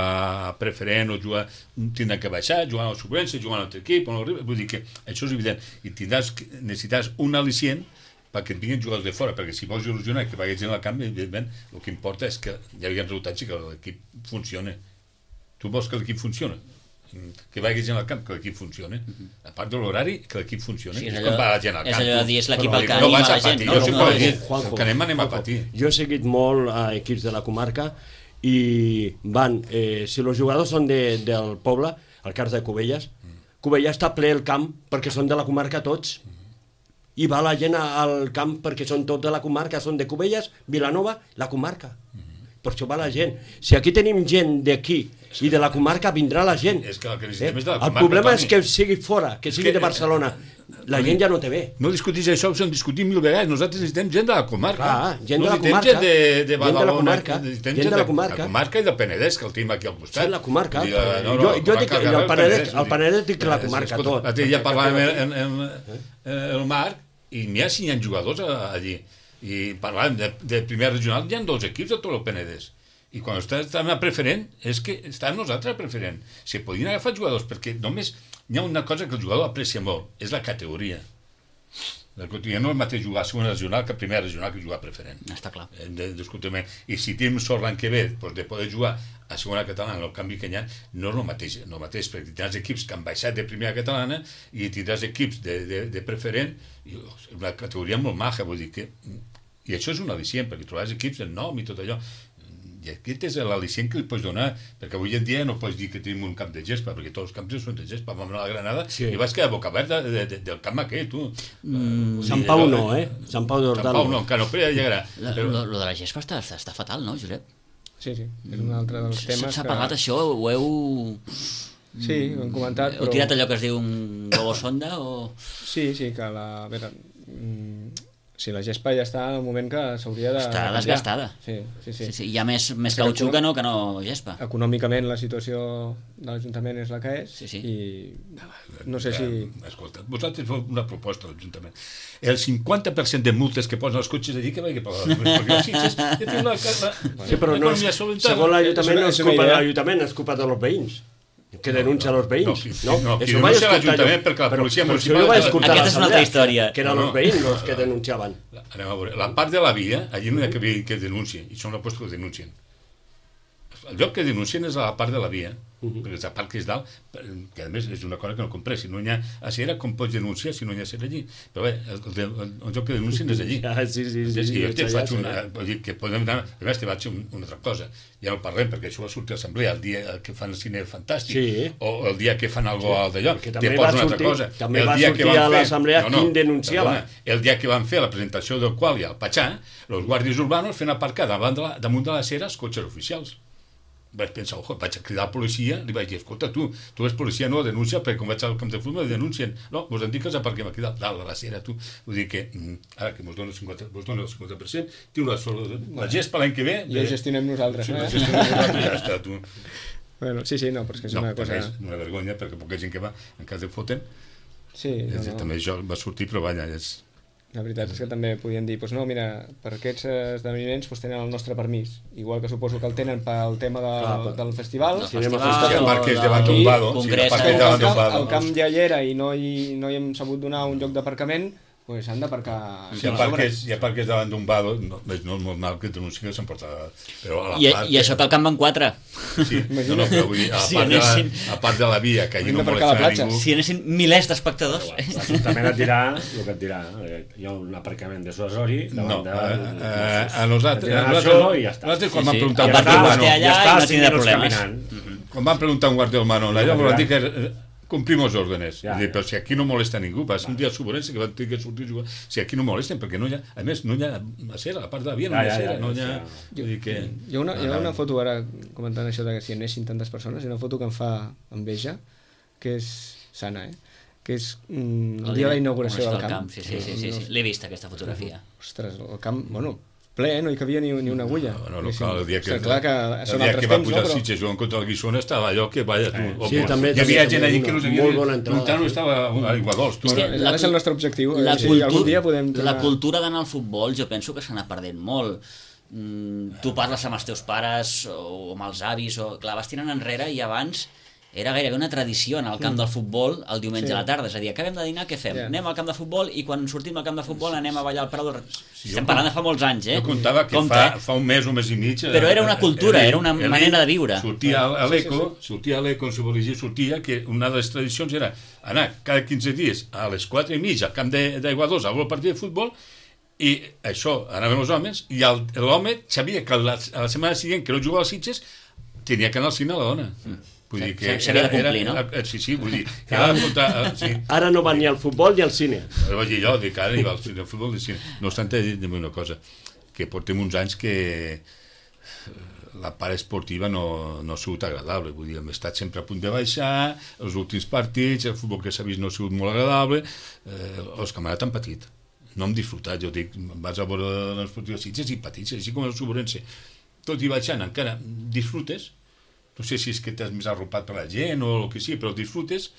a preferent o jugar, tindran que baixar, jugar a la suplència, jugar a un altre equip, vull dir que això és evident. I tindràs, necessitaràs un al·licient perquè et vinguin jugadors de fora, perquè si vols il·lusionar que vagis en el camp, evidentment, el que importa és que hi hagi resultats i que l'equip funcioni. Tu vols que l'equip funcioni? Que vagis en el camp, que l'equip funcioni. A part de l'horari, que l'equip funcioni. Sí, és, és allò, com va la gent al és camp. allò de dir, és l'equip el que no anima vas la a gent. patir, No, jo no, sempre no, he dit Juanjo, que anem, anem a patir. Jo he seguit molt a equips de la comarca i van, eh, si els jugadors són de, del poble, al cas de Cubelles, Cubelles està ple el camp perquè són de la comarca tots. I va la gent al camp perquè són tots de la comarca, són de Cubelles, Vilanova, la comarca. Per això va la gent. Si aquí tenim gent d'aquí i de la comarca, vindrà la gent. És que el que necessitem eh? és de la comarca. El problema Toni. és que sigui fora, que sigui que, de Barcelona. La gent ja no té bé. No discutis això, ho hem discutit mil vegades. Nosaltres necessitem gent de la comarca. Clar, gent no de la comarca. Gent de, de gent de la comarca. Gent, gent de la comarca. La comarca i del Penedès, que el tenim aquí al costat. Sí, la comarca. Dir, no, no, jo jo comarca, dic que el Penedès, el Penedès dic que la comarca, escolta, tot. L'altre dia parlàvem en, en, en, el Marc i n'hi ha cinc jugadors allí. I parlàvem de, de primer regional, hi ha dos equips de tot el Penedès. I quan estem a preferent, és que estem nosaltres a preferent. Se podien agafar jugadors, perquè només hi ha una cosa que el jugador aprecia molt, és la categoria. La categoria no és el mateix jugar a segona regional que a primera regional que jugar a preferent. Està clar. De, discutiment. I si tenim sort l'any que ve doncs, de poder jugar a segona catalana, el canvi que hi ha, no és el mateix, no el mateix, perquè tindràs equips que han baixat de primera catalana i tindràs equips de, de, de preferent, i és una categoria molt maja, vull dir que... I això és un al·licient, perquè trobaràs equips del nom i tot allò. I aquest és l'al·licient que li pots donar, perquè avui en dia no pots dir que tenim un camp de gespa, perquè tots els camps són de gespa. Vam anar a la Granada sí. i vas quedar boca oberta de, de, del camp aquell, tu. Mm, Sant Pau no, eh? Sant Pau d'Hortal. Sant Pau no, encara no, però ja llegarà. Però... Lo, lo de la gespa està, està, està fatal, no, Josep? Sí, sí, és un altre dels temes. S'ha parlat que... això, ho heu... Sí, ho hem comentat, heu però... tirat allò que es diu un globo sonda o...? Sí, sí, que la... A veure, si la gespa ja està en el moment que s'hauria de... Està desgastada. Sí, sí, sí. sí, sí. Hi ha més, més cautxú que no, que no gespa. Econòmicament la situació de l'Ajuntament és la que és sí, sí. i no sé si... Escolta, vosaltres feu una proposta a l'Ajuntament. El cinquanta per cent de multes que posen els cotxes allí que vagi per les perquè els Sitges ja tenen la casa... Sí, però no és, segons l'Ajuntament no és culpa de l'Ajuntament, és culpa dels veïns. que denuncia no, els veïns. no, no, qui denuncia l'Ajuntament perquè la policia municipal... Aquesta és una altra història. Que eren els veïns els que denunciaven. Anem a veure, la part de la via, allí no hi ha que, que denuncien, i són els que denuncien. El lloc que denuncien és a la part de la via, uh-huh. perquè és la part que és dalt, que a més és una cosa que no compré, si no hi ha acera, com pots denunciar si no hi ha acera allí? Però bé, el, el, el lloc que denuncien és allí. Ah, sí, sí, sí. I jo sí, te sí, faig sí, una... sí. Vull dir que podem anar... A més, te vaig un, una altra cosa. Ja no parlem, perquè això va sortir a l'assemblea el dia que fan el cine fantàstic, sí. o el dia que fan algo sí. d'allò. Que Te pots una altra cosa. També el va dia sortir que van a fer... l'assemblea no, no, quin denunciava. Perdona, el dia que van fer la presentació del qual hi ha el Patxà, els guàrdies urbanos fent aparcar davant de la, damunt de la cera els cotxes oficials. Vaig pensar, ojo, vaig a cridar a la policia, li vaig dir, escolta, tu, tu ets policia, no, denuncia, perquè quan vaig al camp de futbol denuncien. No, vos han dit que els aparquem aquí dalt, dalt de la cera, tu. Vull dir que, ara que mos dona el cinquanta, vos dona el cinquanta per cent, tio, la, la gespa l'any que ve... I ho gestionem nosaltres, sí, no? La gestionem nosaltres, ja està, tu. Bueno, sí, sí, no, però és que és no, una cosa... és una vergonya, perquè poca gent que va, en cas de foten, sí, no, no. també això va sortir, però vaja, és... La veritat és que també podien dir, doncs no, mira, per aquests esdeveniments doncs tenen el nostre permís, igual que suposo que el tenen pel tema de, Clar, del festival. del festival, Si festival, aparques de- davant d'un vado, si congrés, aparques el, davant d'un camp, vado... el camp ja hi era i no hi, no hi hem sabut donar un lloc d'aparcament, doncs han d'aparcar... Si aparques, si aparques davant d'un vado, no, és no és molt mal que denunciï que s'emporta... Però a la I, part... I això que el camp van quatre. Sí, no, no, però vull dir, a la, Si part, de la, anessin- a part de la via, que allí Hem no d'aparcar a la molesta a platja. ningú... Si anessin milers d'espectadors. L'Ajuntament et dirà el que et dirà. Hi ha un aparcament de Suasori No, davant de... eh, eh, a nosaltres, Et diran a això nosaltres, i ja està. nosaltres quan Sí, van sí. preguntar A un partir guardia vostè urbano, allà i no cinc tindrà minuts problemes. caminant. quan van preguntar un guardia urbano, allà Ja, van ja. dir que eh, complimos órdenes. Ja, Ja, dir, ja. però si aquí no molesta ningú, va ser un dia suborrense que van tenir que sortir a jugar. Si aquí no molesten, perquè no hi ha... A més, no hi ha acera, a la part de la via no hi ha Ja, ja, acera, ja, no hi ha... ja. Vull dir que... Hi ha una, hi ha no, una no. foto ara, comentant això de que si anessin tantes persones, hi ha una foto que em fa enveja, que és sana, eh? Que és mm, el dia de la inauguració del camp. Sí, sí, sí, sí, sí. L'he vist, aquesta fotografia. Ostres, el camp, bueno, ple, no hi cabia ni, ni una agulla. No, no, clar, el dia que, Ostres, clar que el són dia altres que va temps, pujar no? els Però... Sitges jugant contra el Guissona estava allò que, vaya, tu... Eh, sí, o- també- hi havia també gent allí una que no molt bona sabia... entrada. Montano estava a Iguadols, tu. És que Bueno, la ha de ser el nostre objectiu. La, si cultu algun dia podem la tornar... cultura d'anar al futbol jo penso que s'ha anat perdent molt. Mm, tu parles amb els teus pares o amb els avis, o clar, vas tirant enrere i abans era gairebé una tradició anar al camp del futbol el diumenge Sí. a la tarda, és a dir, acabem de dinar, què fem? Ja. Anem al camp de futbol i quan sortim al camp de futbol anem a ballar al Prado. Sí, Estem jo parlant de fa molts anys, eh? Jo comptava que Compte, fa, eh? fa un mes, un mes i mig... eh, Però era una cultura, eh, era una eh, manera de viure. Sortia a l'Eco, sortia a l'Eco, si volia dir, sortia que una de les tradicions era anar cada quinze dies a les quatre i mitja al camp d'Aiguadols a veure el partit de futbol, i això, anàvem els homes, i el- l'home sabia que la, a la setmana següent que no jugava als Sitges tenia que anar al cine a la dona. Vull dir que S'havia de complir, era, no? era, sí, sí, vull dir, que era contra, sí. Ara no van ni al futbol ni al cine. Però vaig dir jo, dic, ara hi va al cine, al futbol de cine. No obstant, dir-me una cosa, que portem uns anys que eh, la part esportiva no, no ha sigut agradable, vull dir, hem estat sempre a punt de baixar, els últims partits, el futbol que s'ha vist no ha sigut molt agradable, eh, els camarats han patit, no hem disfrutat, jo dic, vas a veure l'esportiu de Sitges i patits, així com el Suborense, tot i baixant encara disfrutes, no sé si és que t'has més arropat per la gent o el que sigui, però disfrutes,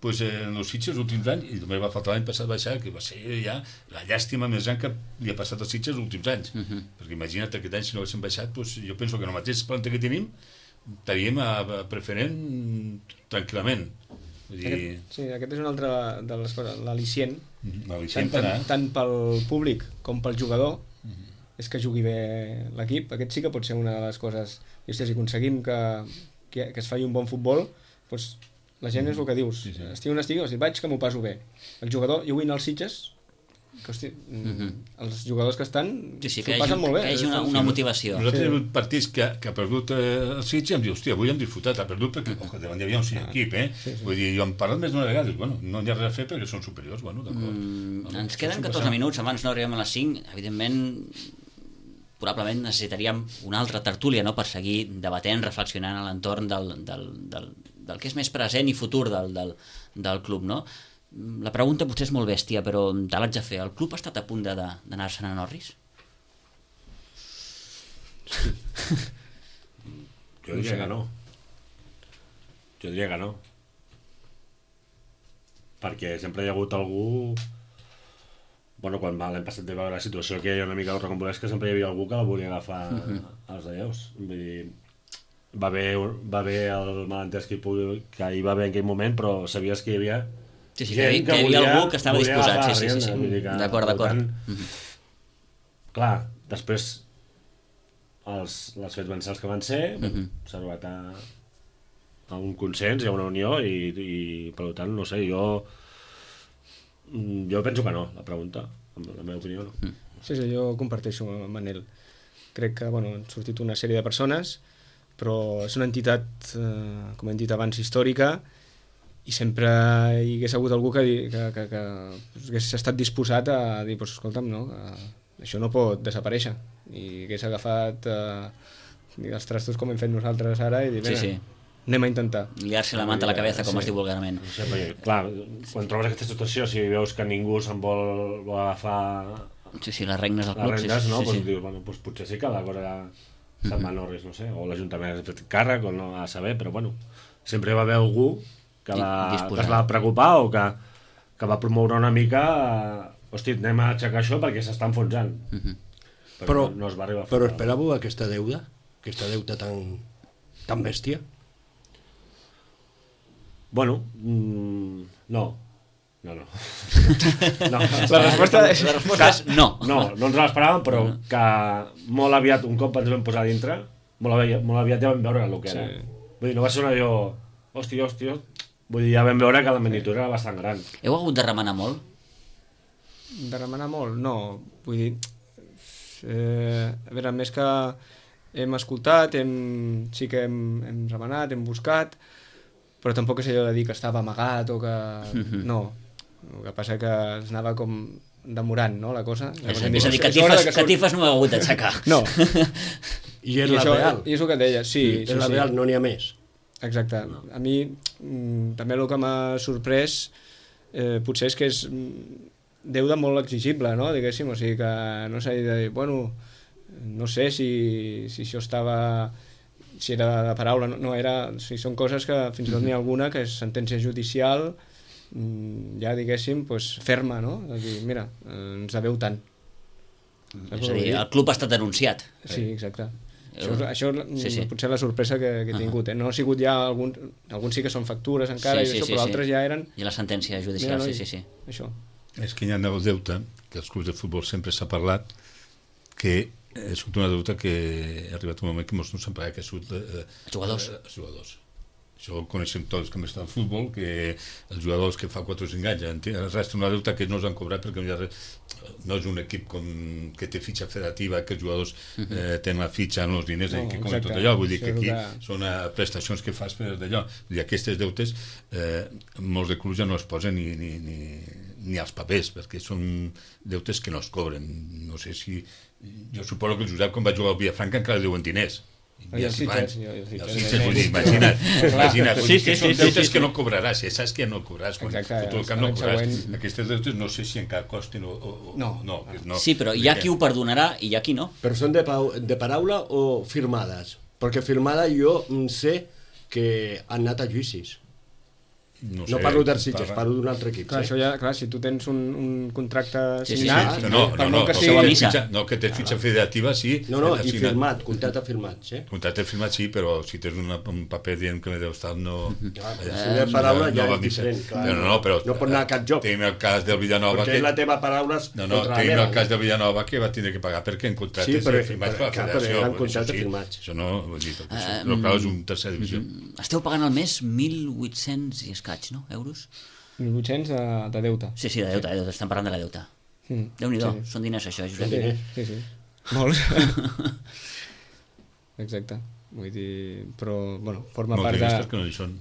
pues, eh, en els Sitges els últims anys, i també va faltar l'any passat baixar, que va ser ja la llàstima més gran que li ha passat als Sitges els últims anys. Uh -huh. Perquè imagina't aquest any, si no haguéssim baixat, pues, jo penso que en el mateix planta que tenim estaríem a, a preferent tranquil·lament. Vull dir, Aquest, sí, aquest és una altra de les coses, l'al·licient, l'al·licient tant, per anar. tant, tant pel públic com pel jugador, és que jugui bé l'equip. Aquest sí que pot ser una de les coses. I, hòstia, si aconseguim que, que, que es faci un bon futbol, doncs la gent és el que dius. Sí, sí. Estigui on estigui, si vaig que m'ho passo bé. El jugador, jo vull anar als Sitges, que, hosti, Mhm. els jugadors que estan Sí, sí, s'ho que hi passen hagi, molt bé. que hi hagi una, una motivació. Nosaltres Sí. hem hagut partits que, que ha perdut eh, el Sitges i em diu, hòstia, avui hem disfrutat, ha perdut perquè oh, davant hi havia un equip, eh? Sí, sí. Vull dir, jo hem parlat més d'una vegada, dic, bueno, no hi ha res a fer perquè són superiors, bueno, d'acord. Mm, Bueno, ens això queden s'ho catorze passa. minuts, abans no arribem a les cinc, evidentment probablement necessitaríem una altra tertúlia, no?, per seguir debatent, reflexionant a l'entorn del, del, del, del que és més present i futur del, del, del club, no? La pregunta potser és molt bèstia, però te l'haig de fer. El club ha estat a punt de- de- d'anar-se'n a Norris? Jo diria que no. Jo diria que no. Perquè sempre hi ha hagut algú... Bueno, quan va l'any passat de veure la situació que hi ha una mica rocambolesca, sempre hi havia algú que la volia agafar als alleus. Vull dir, va haver, va haver el malentès que, hi pugui, que hi va haver en aquell moment, però sabies que hi havia Sí, sí, que, hi- que hi havia algú que estava disposat, sí, sí, sí, sí. Vull dir que, D'acord, per d'acord. tant, Mhm. Clar, després els, les fets van ser els que van ser, Mhm. s'ha arribat a, a un consens i a una unió i, i per tant, no sé, jo jo penso que no, la pregunta, en la meva opinió no. Mm. Sí, sí, jo comparteixo amb Manel. Crec que bueno, han sortit una sèrie de persones, però és una entitat, eh, com hem dit abans, històrica, i sempre hi hagués hagut algú que, di- que, que, que hagués estat disposat a dir, pues, escolta'm, no, que això no pot desaparèixer, i hagués agafat eh, els trastos com hem fet nosaltres ara i dir, Sí, vinga, sí. anem a intentar. Liar-se la manta a la cabeza, com Sí. es diu vulgarment. No sé, perquè, clar, quan trobes aquesta situació, si veus que ningú se'n vol, vol agafar Sí, sí, les regnes del les club. rendes, sí, no? sí, Pues sí. dius, bueno, pues potser sí que la cosa se'n va no res, no sé, o l'Ajuntament ha fet càrrec, o no a saber, però bueno, sempre va haver algú que, va, Disposat. que es va preocupar o que, que va promoure una mica, eh, hosti, anem a aixecar això perquè s'està enfonsant. Mhm. Però, Però, no, no es va arribar a fer. però esperàveu aquesta deuda? Aquesta deuta tan, tan bèstia? Bueno, mm, no. No, no. no. La resposta és... La resposta és no. No, no ens l'esperàvem, però que molt aviat, un cop ens vam posar a dintre, molt aviat, molt aviat ja vam veure el que era. Sí. Vull dir, no va ser una allò... Hòstia, hòstia... Vull dir, ja vam veure que la magnitud era bastant gran. Heu hagut de remenar molt? De remenar molt? No, vull dir... Eh, a veure, més que hem escoltat, hem, sí que hem, hem remenat, hem buscat, però tampoc és allò de dir que estava amagat o que... Mhm. No, el que passa que es anava com demorant, no?, la cosa. És, Llavors hem és a dir, "És hora catifes, de que surt". catifes no heu hagut d'aixecar. No, I és I la això, real. i és el que et deia, sí, és sí, la sí. real, no n'hi ha més. Exacte. A mi mm, també el que m'ha sorprès eh, potser és que és mm, deuda molt exigible, no?, diguéssim, o sigui que no s'ha de dir, bueno, no sé si, si això estava si era de paraula, no, no era, o sigui, són coses que fins i tot n'hi ha alguna que és sentència judicial mm, ja diguéssim pues, ferma, no?, de dir, mira, eh, ens deveu tant. És a dir, el club ha estat denunciat. Sí, exacte. Eh, Això, això sí, sí. potser la sorpresa que, que he tingut. Eh? No ha sigut ja algun... Alguns sí que són factures encara, Sí, i sí, això, sí, però sí. altres ja eren... I la sentència judicial, Mira, sí, noi, sí, sí. Això. És que hi ha el deute, que els clubs de futbol sempre s'ha parlat, que ha sigut una deuta que ha arribat un moment que molts no s'han pagat, que ha sigut... Eh, Els jugadors. Eh, els jugadors. Això ho coneixem tots que hem estat al futbol, que els jugadors que fa quatre o cinc anys es resta una deuta que no us han cobrat perquè no, hi ha res, no és un equip com, que té fitxa federativa, que els jugadors eh, tenen la fitxa en els diners No, i que com exacte. tot allò, vull dir que Això és aquí el que- són eh, prestacions que fas per d'allò. Vull dir, aquestes deutes eh, molts de clubs ja no es posen ni, ni, ni, ni als papers, perquè són deutes que no es cobren. No sé si... Jo suposo que el Josep, quan va jugar al Vilafranca, encara li deuen diners. I els Sitges, I i els els Sitges, Sitges, eh, vull dir, eh, imagina't, imagina't, vull Sí, dir que sí, són sí, sí, deutes sí, que sí. no cobraràs, ja saps que ja no cobraràs, quan Exacte, tot el cap l'any no cobraràs. següent. Aquestes deutes no sé si encara costen o... o o- No. no, no. Sí, però hi ha qui ho perdonarà i hi ha qui no. Però són de, pau, de paraula o firmades? Perquè firmada jo mm, sé que han anat a judicis. No, No parlo dels Sitges, parlo d'un altre equip. Clar, sí. això ja, clar, si tu tens un, un contracte Sí, sí, signat, sí, No, no, per no, molt que no, sigui- que a té missa. fitxa, no, que té fitxa federativa, sí. No, no, has i signat. firmat, contracte firmat, sí. Contracte firmat, sí, però si tens una, un paper dient que m'he estar no... Clar, eh, si de paraula ja va és missa. diferent, clar. No, no, però... No pot anar a cap joc. Tenim el cas del Villanova... Perquè és la teva paraula No, no, contra la tenim meva. el cas de Villanova que va tindre que pagar perquè en contractes Sí, però- firmats per però- la clar, però federació. eren vull dir, contractes això sí, firmats. Això no, vull dir, perquè això, Eh, però clar, és un tercera divisió. Esteu pagant al mes mil vuit-cents i escaig, no? Euros? mil vuit-cents de, de deute. Sí, sí, de deute, de deute. Estem parlant de la deuta. Mm. Déu-n'hi-do, Sí. són diners això, Josep. diners. Sí, sí. Molts. Exacte. Vull dir, però, bueno, forma Molts part diners de... perquè no hi són.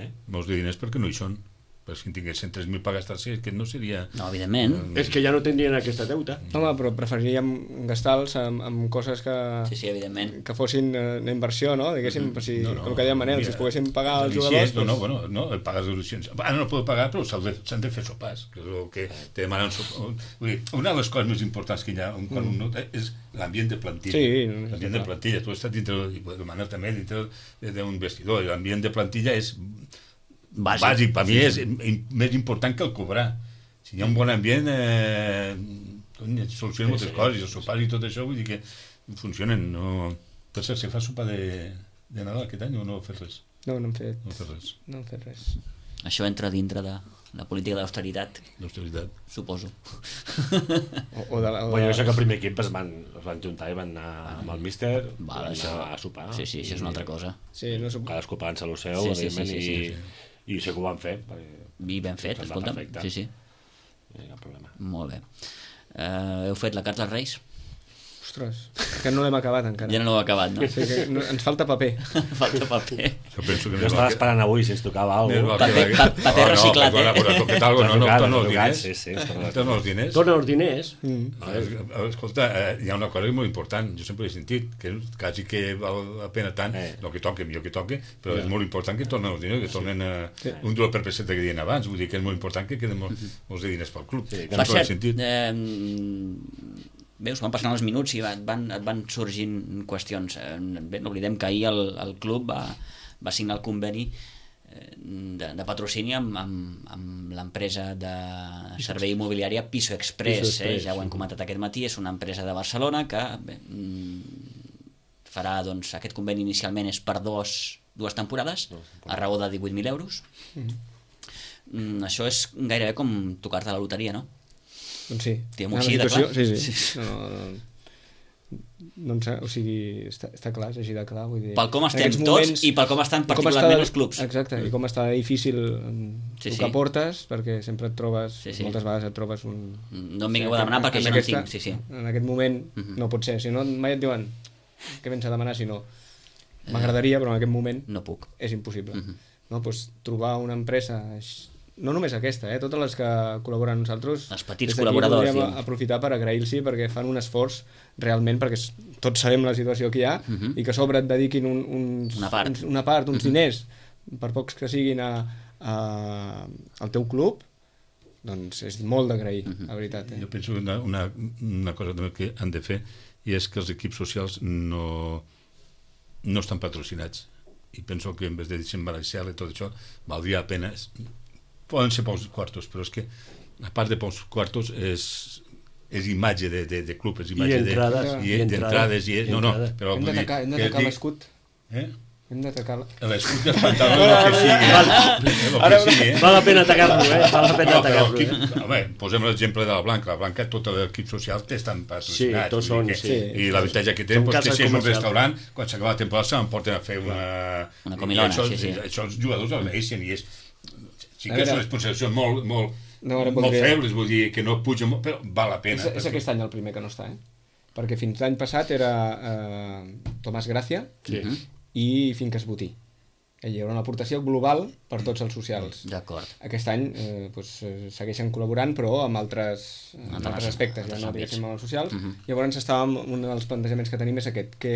Eh? Molts de diners perquè no hi són. Però si en tinguessin tres mil per gastar-se, que no seria... No, evidentment. És que ja no tindrien aquesta deuta. Home, però preferiríem gastar-los amb, amb coses que, Sí, sí, evidentment. que fossin eh, una inversió, no? Diguéssim, per si, No, no, com que deia Manel, mira, si es poguessin pagar els Alicients, jugadors... no, no, bueno, no, el pagues les licences. Ara no puc pagar, però s'han de, s'han de fer sopars, que és el que te demanen sopars. Vull dir, una de les coses més importants que hi ha un, quan un nota és l'ambient de plantilla. Sí, no, no, l'ambient de clar. plantilla. Tu has estat dintre, i el Manel també, dintre d'un vestidor, i l'ambient de plantilla és Bàsic. bàsic. Per mi és im- més important que el cobrar. Si hi ha un bon ambient, eh, cony, solucionen moltes coses, i els sopars i tot això, vull dir que funcionen, no... Per cert, si fas sopar de, de Nadal aquest any o no fes res? No, no hem fet, No fes res, no hem fet res. Això entra dintre de la política d'austeritat, d'austeritat. suposo. O, o de, la- o Bueno, de, jo sé que el primer equip es van, es van juntar i van anar amb el míster, Va, van això- anar a sopar. Sí, sí, això és una altra cosa. sí, no sé, Cadascú pagant-se el seu, Sí, sí, sí, evidentment, sí, i, sí, i sé que ho van fer. Perquè I ben fet, Se'ns va escolta'm. perfecte. Sí, sí, no hi ha cap problema. molt bé. Uh, heu fet la carta als Reis? ostres, que no l'hem acabat encara. Ja no l'heu acabat, no? Sí, que no, ens falta paper. Falta paper. Jo penso que Jo estava esperant avui si ens tocava alguna cosa. Paper- pa- paper reciclat, eh? No, no, toquet algo, no, no, torna els diners. Sí, sí, es torna els Torna els diners. Torna els diners. Mm. A veure, escolta, eh, hi ha una cosa molt important, jo sempre he sentit, que quasi que val la pena tant, Eh. el que toque, millor que toque, però és molt important que tornen els diners, que tornen eh, Sí. un duro per peseta que deien abans, vull dir que és molt important que queden molts, molts de diners pel club. Sí, que Per Sempre he cert, sentit. eh, veus, van passant els minuts i van, van, et van sorgint qüestions. Eh, Bé, no oblidem que ahir el, el club va, va signar el conveni eh, de, de patrocini amb, amb, amb l'empresa de servei immobiliària Piso Express, Piso Express, eh? Ja ho hem comentat aquest matí, és una empresa de Barcelona que bé, mm, farà, doncs, aquest conveni inicialment és per dos, dues temporades, a raó de divuit mil euros. Mm, això és gairebé com tocar-te a la loteria, no? Doncs sí. Diguem-ho Una així, de situació- clar. Sí, Sí. sí. No, no, no, no, o sigui, està, està clar, és així de clar. Vull dir, Pel com en estem aquests tots moments- i pel com estan i com particularment està- els clubs. Exacte, i com està difícil Sí, sí, tocar sí. portes, perquè sempre et trobes, Sí, sí. moltes vegades et trobes un... No em vingueu a demanar perquè jo no en tinc, sí, sí. En aquest moment Mhm. no pot ser, si no mai et diuen què vens a demanar, si no m'agradaria, però en aquest moment No puc. és impossible. Mhm. No? Pues, trobar una empresa, no només aquesta, eh? totes les que col·laboren amb nosaltres, Els petits des d'aquí col·laboradors, voldríem diguem. aprofitar per agrair-los perquè fan un esforç realment, perquè s- tots sabem la situació que hi ha, Mhm. i que a sobre et dediquin un, uns, Una part. uns, una part uns diners, per pocs que siguin a, a, al teu club, doncs és molt d'agrair, la veritat. Eh? Jo penso que una, una, una cosa també que han de fer i és que els equips socials no, no estan patrocinats, i penso que en vez de desembareixar i tot això valdria la pena. Poden ser pocs quartos, però és que a part de pocs quartos és, és imatge de, de, de club, és imatge I entrades, de, i i, entrades, d'entrades i, i no, no, entrades. però Hem vull dir d'atacar hem que d'atacar dic- l'escut. eh? Hem d'atacar... la- l'escut dels pantalons el que sigui, eh? el Ara que sigui, eh? val la pena atacar-lo, eh? Val la pena No, però atacar-lo, equip, eh? home, posem l'exemple de la Blanca. La Blanca, tot l'equip social té estan patrocinats. Sí, tots vull dir són, que- sí. I l'avantatge que té Són doncs, que cases si és un comercials. restaurant, quan s'acaba la temporada se'n porten a fer una... Una comilona, i això, sí, sí. Això els jugadors el mereixen i és... Sí A que veure. són responsabilitats molt, molt, No, ara molt voldria- febles, vull dir, que no pugen molt, però val la pena. És, és perquè- aquest any el primer que no està, eh? Perquè fins l'any passat era eh, Tomàs Gràcia Sí. i Finques Botí. Hi haurà una aportació global per tots els socials. D'acord. Aquest any eh, doncs, eh, segueixen col·laborant, però amb altres, amb Altres- altres aspectes, ja altres no àmbits. diguéssim amb els socials. Mhm. Llavors estàvem, un dels plantejaments que tenim és aquest, què,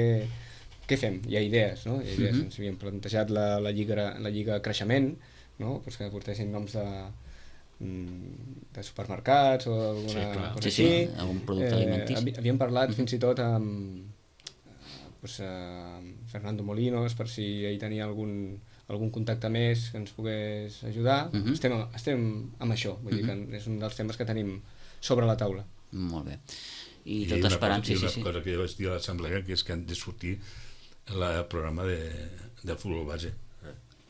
què fem? Hi ha idees, no? Hi ha idees. Mhm. Ens havíem plantejat la, la, lliga, la lliga creixement, no? Pues que aportessin noms de, mm, de supermercats o alguna Sí, clar. cosa Sí, sí, així. algun producte alimentici. havi- Havíem parlat fins i tot amb, eh, pues, eh, amb Fernando Molinos per si ell tenia algun, algun contacte més que ens pogués ajudar. Mhm. estem, estem amb això, vull dir que és un dels temes que tenim sobre la taula. Molt bé. I I tot una esperant, cosa, sí, i sí, una sí. cosa que jo vaig dir a l'assemblea, que és que han de sortir el programa de, de futbol base.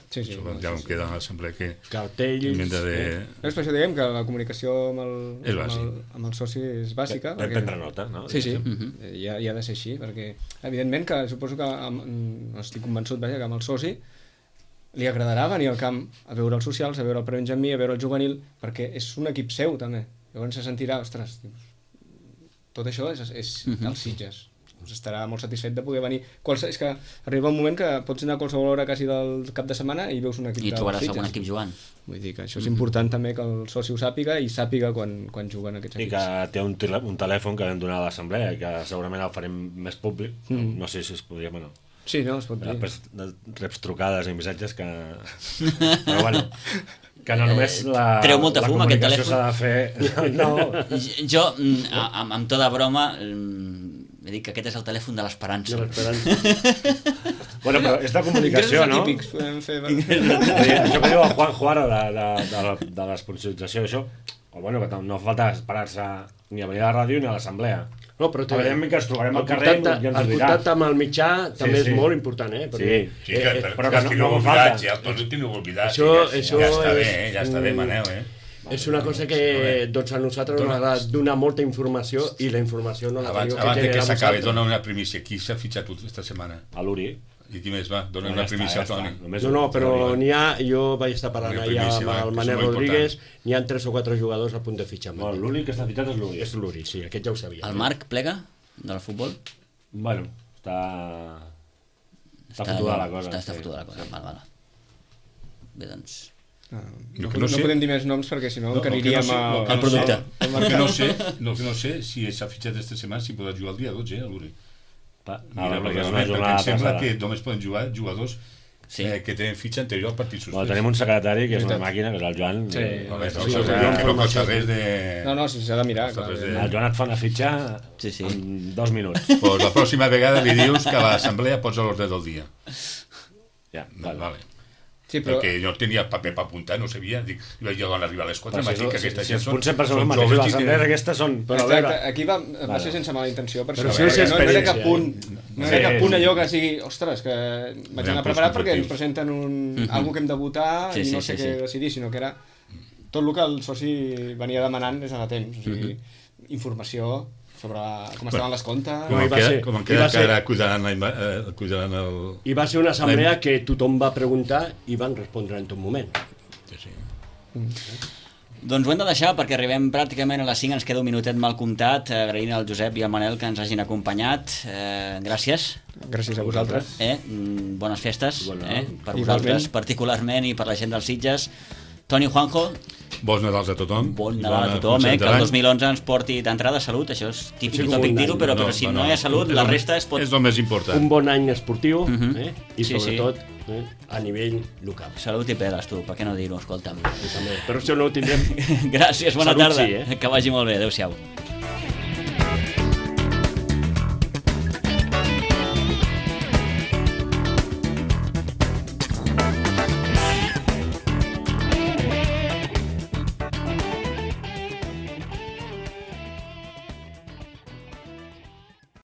Sí, sí, Això no, ja sí, em sí. queda a l'assemblea que Cartells... hem de... És per això diguem que la comunicació amb el, És amb el, bàsic. amb el soci és bàsica. Vam prendre nota, no? Sí, sí, Mhm. hi, ha, hi ha de ser així, perquè evidentment que suposo que amb, no estic convençut vaja, que amb el soci li agradarà venir al camp a veure els socials, a veure el prebenjamí, a veure el juvenil, perquè és un equip seu també. Llavors se sentirà, ostres, dius, tot això és, és Mhm. dels Sitges. Doncs estarà molt satisfet de poder venir. Qualse, és que arriba un moment que pots anar a qualsevol hora quasi del cap de setmana i veus un equip I dels trobaràs Sitges. algun equip jugant. Vull dir que això és important també que el soci ho sàpiga i sàpiga quan, quan juguen aquests I equips. que té un, tele, un telèfon que vam donar a l'assemblea i que segurament el farem més públic. Mm. No sé si es podria... Bueno, Sí, no, es pot dir. després de reps trucades i missatges que... Però bueno, que no només la, Treu molta la fum, aquest comunicació telèfon. s'ha de fer... No, Jo, mm, a- amb, amb tota broma, mm, he dit que aquest és el telèfon de l'esperança. De l'esperança. bueno, però és de comunicació, Ingressos no? atípics podem fer. Vull dir, això que diu el Juanjo ara de, de, de, la, de l'esponsorització, això, o bueno, que no fa falta esperar-se ni a venir a la ràdio ni a l'assemblea. No, però evidentment que ens trobarem al el carrer contacte, i ens ho el dirà. contacte amb el mitjà també sí. és molt important, eh? Perquè, Sí. Sí, que, eh, per, però que que no- tinc no oblidat, falta. ja, tots ho tinc oblidat. Això- ja, això ja està és bé, eh? ja està bé, un- Manel, eh? és una cosa que doncs, a nosaltres ens agrada donar molta informació i la informació no la Abans, teniu abans de que generar s'acabi, vosaltres. dona una primícia. Qui s'ha fitxat aquesta setmana? A l'Uri. I qui més va? Dona No, una ja està, primícia ja al Toni. està. Només No, no, un- però n'hi ha, jo vaig estar parlant Una allà primícia, amb va, el que Manel és molt Rodríguez, n'hi ha tres o quatre jugadors a punt de fitxar. amb No, ell. l'únic que està fitxat és l'Uri. És l'Uri, sí, aquest ja ho sabia. El Marc plega del futbol? Bueno, està... Està fotuda la cosa. Està, està sí. fotuda la cosa, val, val. Bé, doncs... Ah, Jo no, que no, no sé- podem dir més noms perquè si no No, el que no encariríem sé- a... el que al no sé- producte. El que no sé, no, que no sé si s'ha fitxat aquesta setmana, si podrà jugar el dia dotze, eh, a l'Uri. Pa- Mira, Ah, perquè és perquè, una perquè jornada em sembla passada. que només poden jugar jugadors Sí. eh, que tenen fitxa anterior al partit suspès. Bueno, tenim un secretari que és una màquina, que és el Joan. Sí. i- Home, Sí, no, sí, que, sí, que no sí. costa res de... No, no, s'ha de mirar. Costa Clar, res de- evidentment. El Joan et fa una fitxa Sí, sí. en dos minuts. Pues la pròxima vegada li dius que a l'assemblea pots a l'ordre del dia. Ja, Vale. vale. Sí, però... Perquè jo tenia paper per apuntar, no sabia. Dic, i vaig dir, arribar a les quatre, Però vaig si, dir que si, aquesta si gent els són... punts sempre són els són mateixos, joves les i assemblees tenen- aquestes són... Però a Exacte, veure, aquí va, va Vale. ser sense mala intenció, per Però això, això és perquè no, no era experiència, cap punt, no era Sí, cap punt sí. allò que sigui, ostres, que vaig Eren anar preparat punts perquè ens conflictius. presenten un, algú que hem de votar Sí, i no sí, sé sí, què sí. decidir, sinó que era tot el que el soci venia demanant des de fa temps, o sigui, informació sobre com estaven les comptes... Com No, i en va queda, ser- com en i queda va que ser- ara cuidaran, la, ima- eh, cuidaran el... I va ser una assemblea que tothom va preguntar i van respondre en tot moment. Sí, sí. Doncs ho hem de deixar perquè arribem pràcticament a les cinc, ens queda un minutet mal comptat, agraint al Josep i al Manel que ens hagin acompanyat. Eh, gràcies. Gràcies a vosaltres. Eh? Mm, Bones festes Bueno, eh? per igualment. vosaltres particularment i per la gent dels Sitges. Toni, Juanjo, Bons Nadals a tothom. bon I Nadal a bona tothom, començament eh? que de el l'any. dos mil onze ens porti d'entrada salut, això és típic Sí, i com tòpic un dir-ho, any. però, No, però si no, no, no. hi ha salut, És la el- resta es pot... És el més important. Un bon any esportiu Mhm. eh? i Sí, sí. sobretot eh? a nivell local. Salut i peles, tu, per què no dir-ho, escolta'm. I també. Però això no ho tindrem. Gràcies, bona Salut, tarda. sí, eh? Que vagi molt bé, adéu-siau.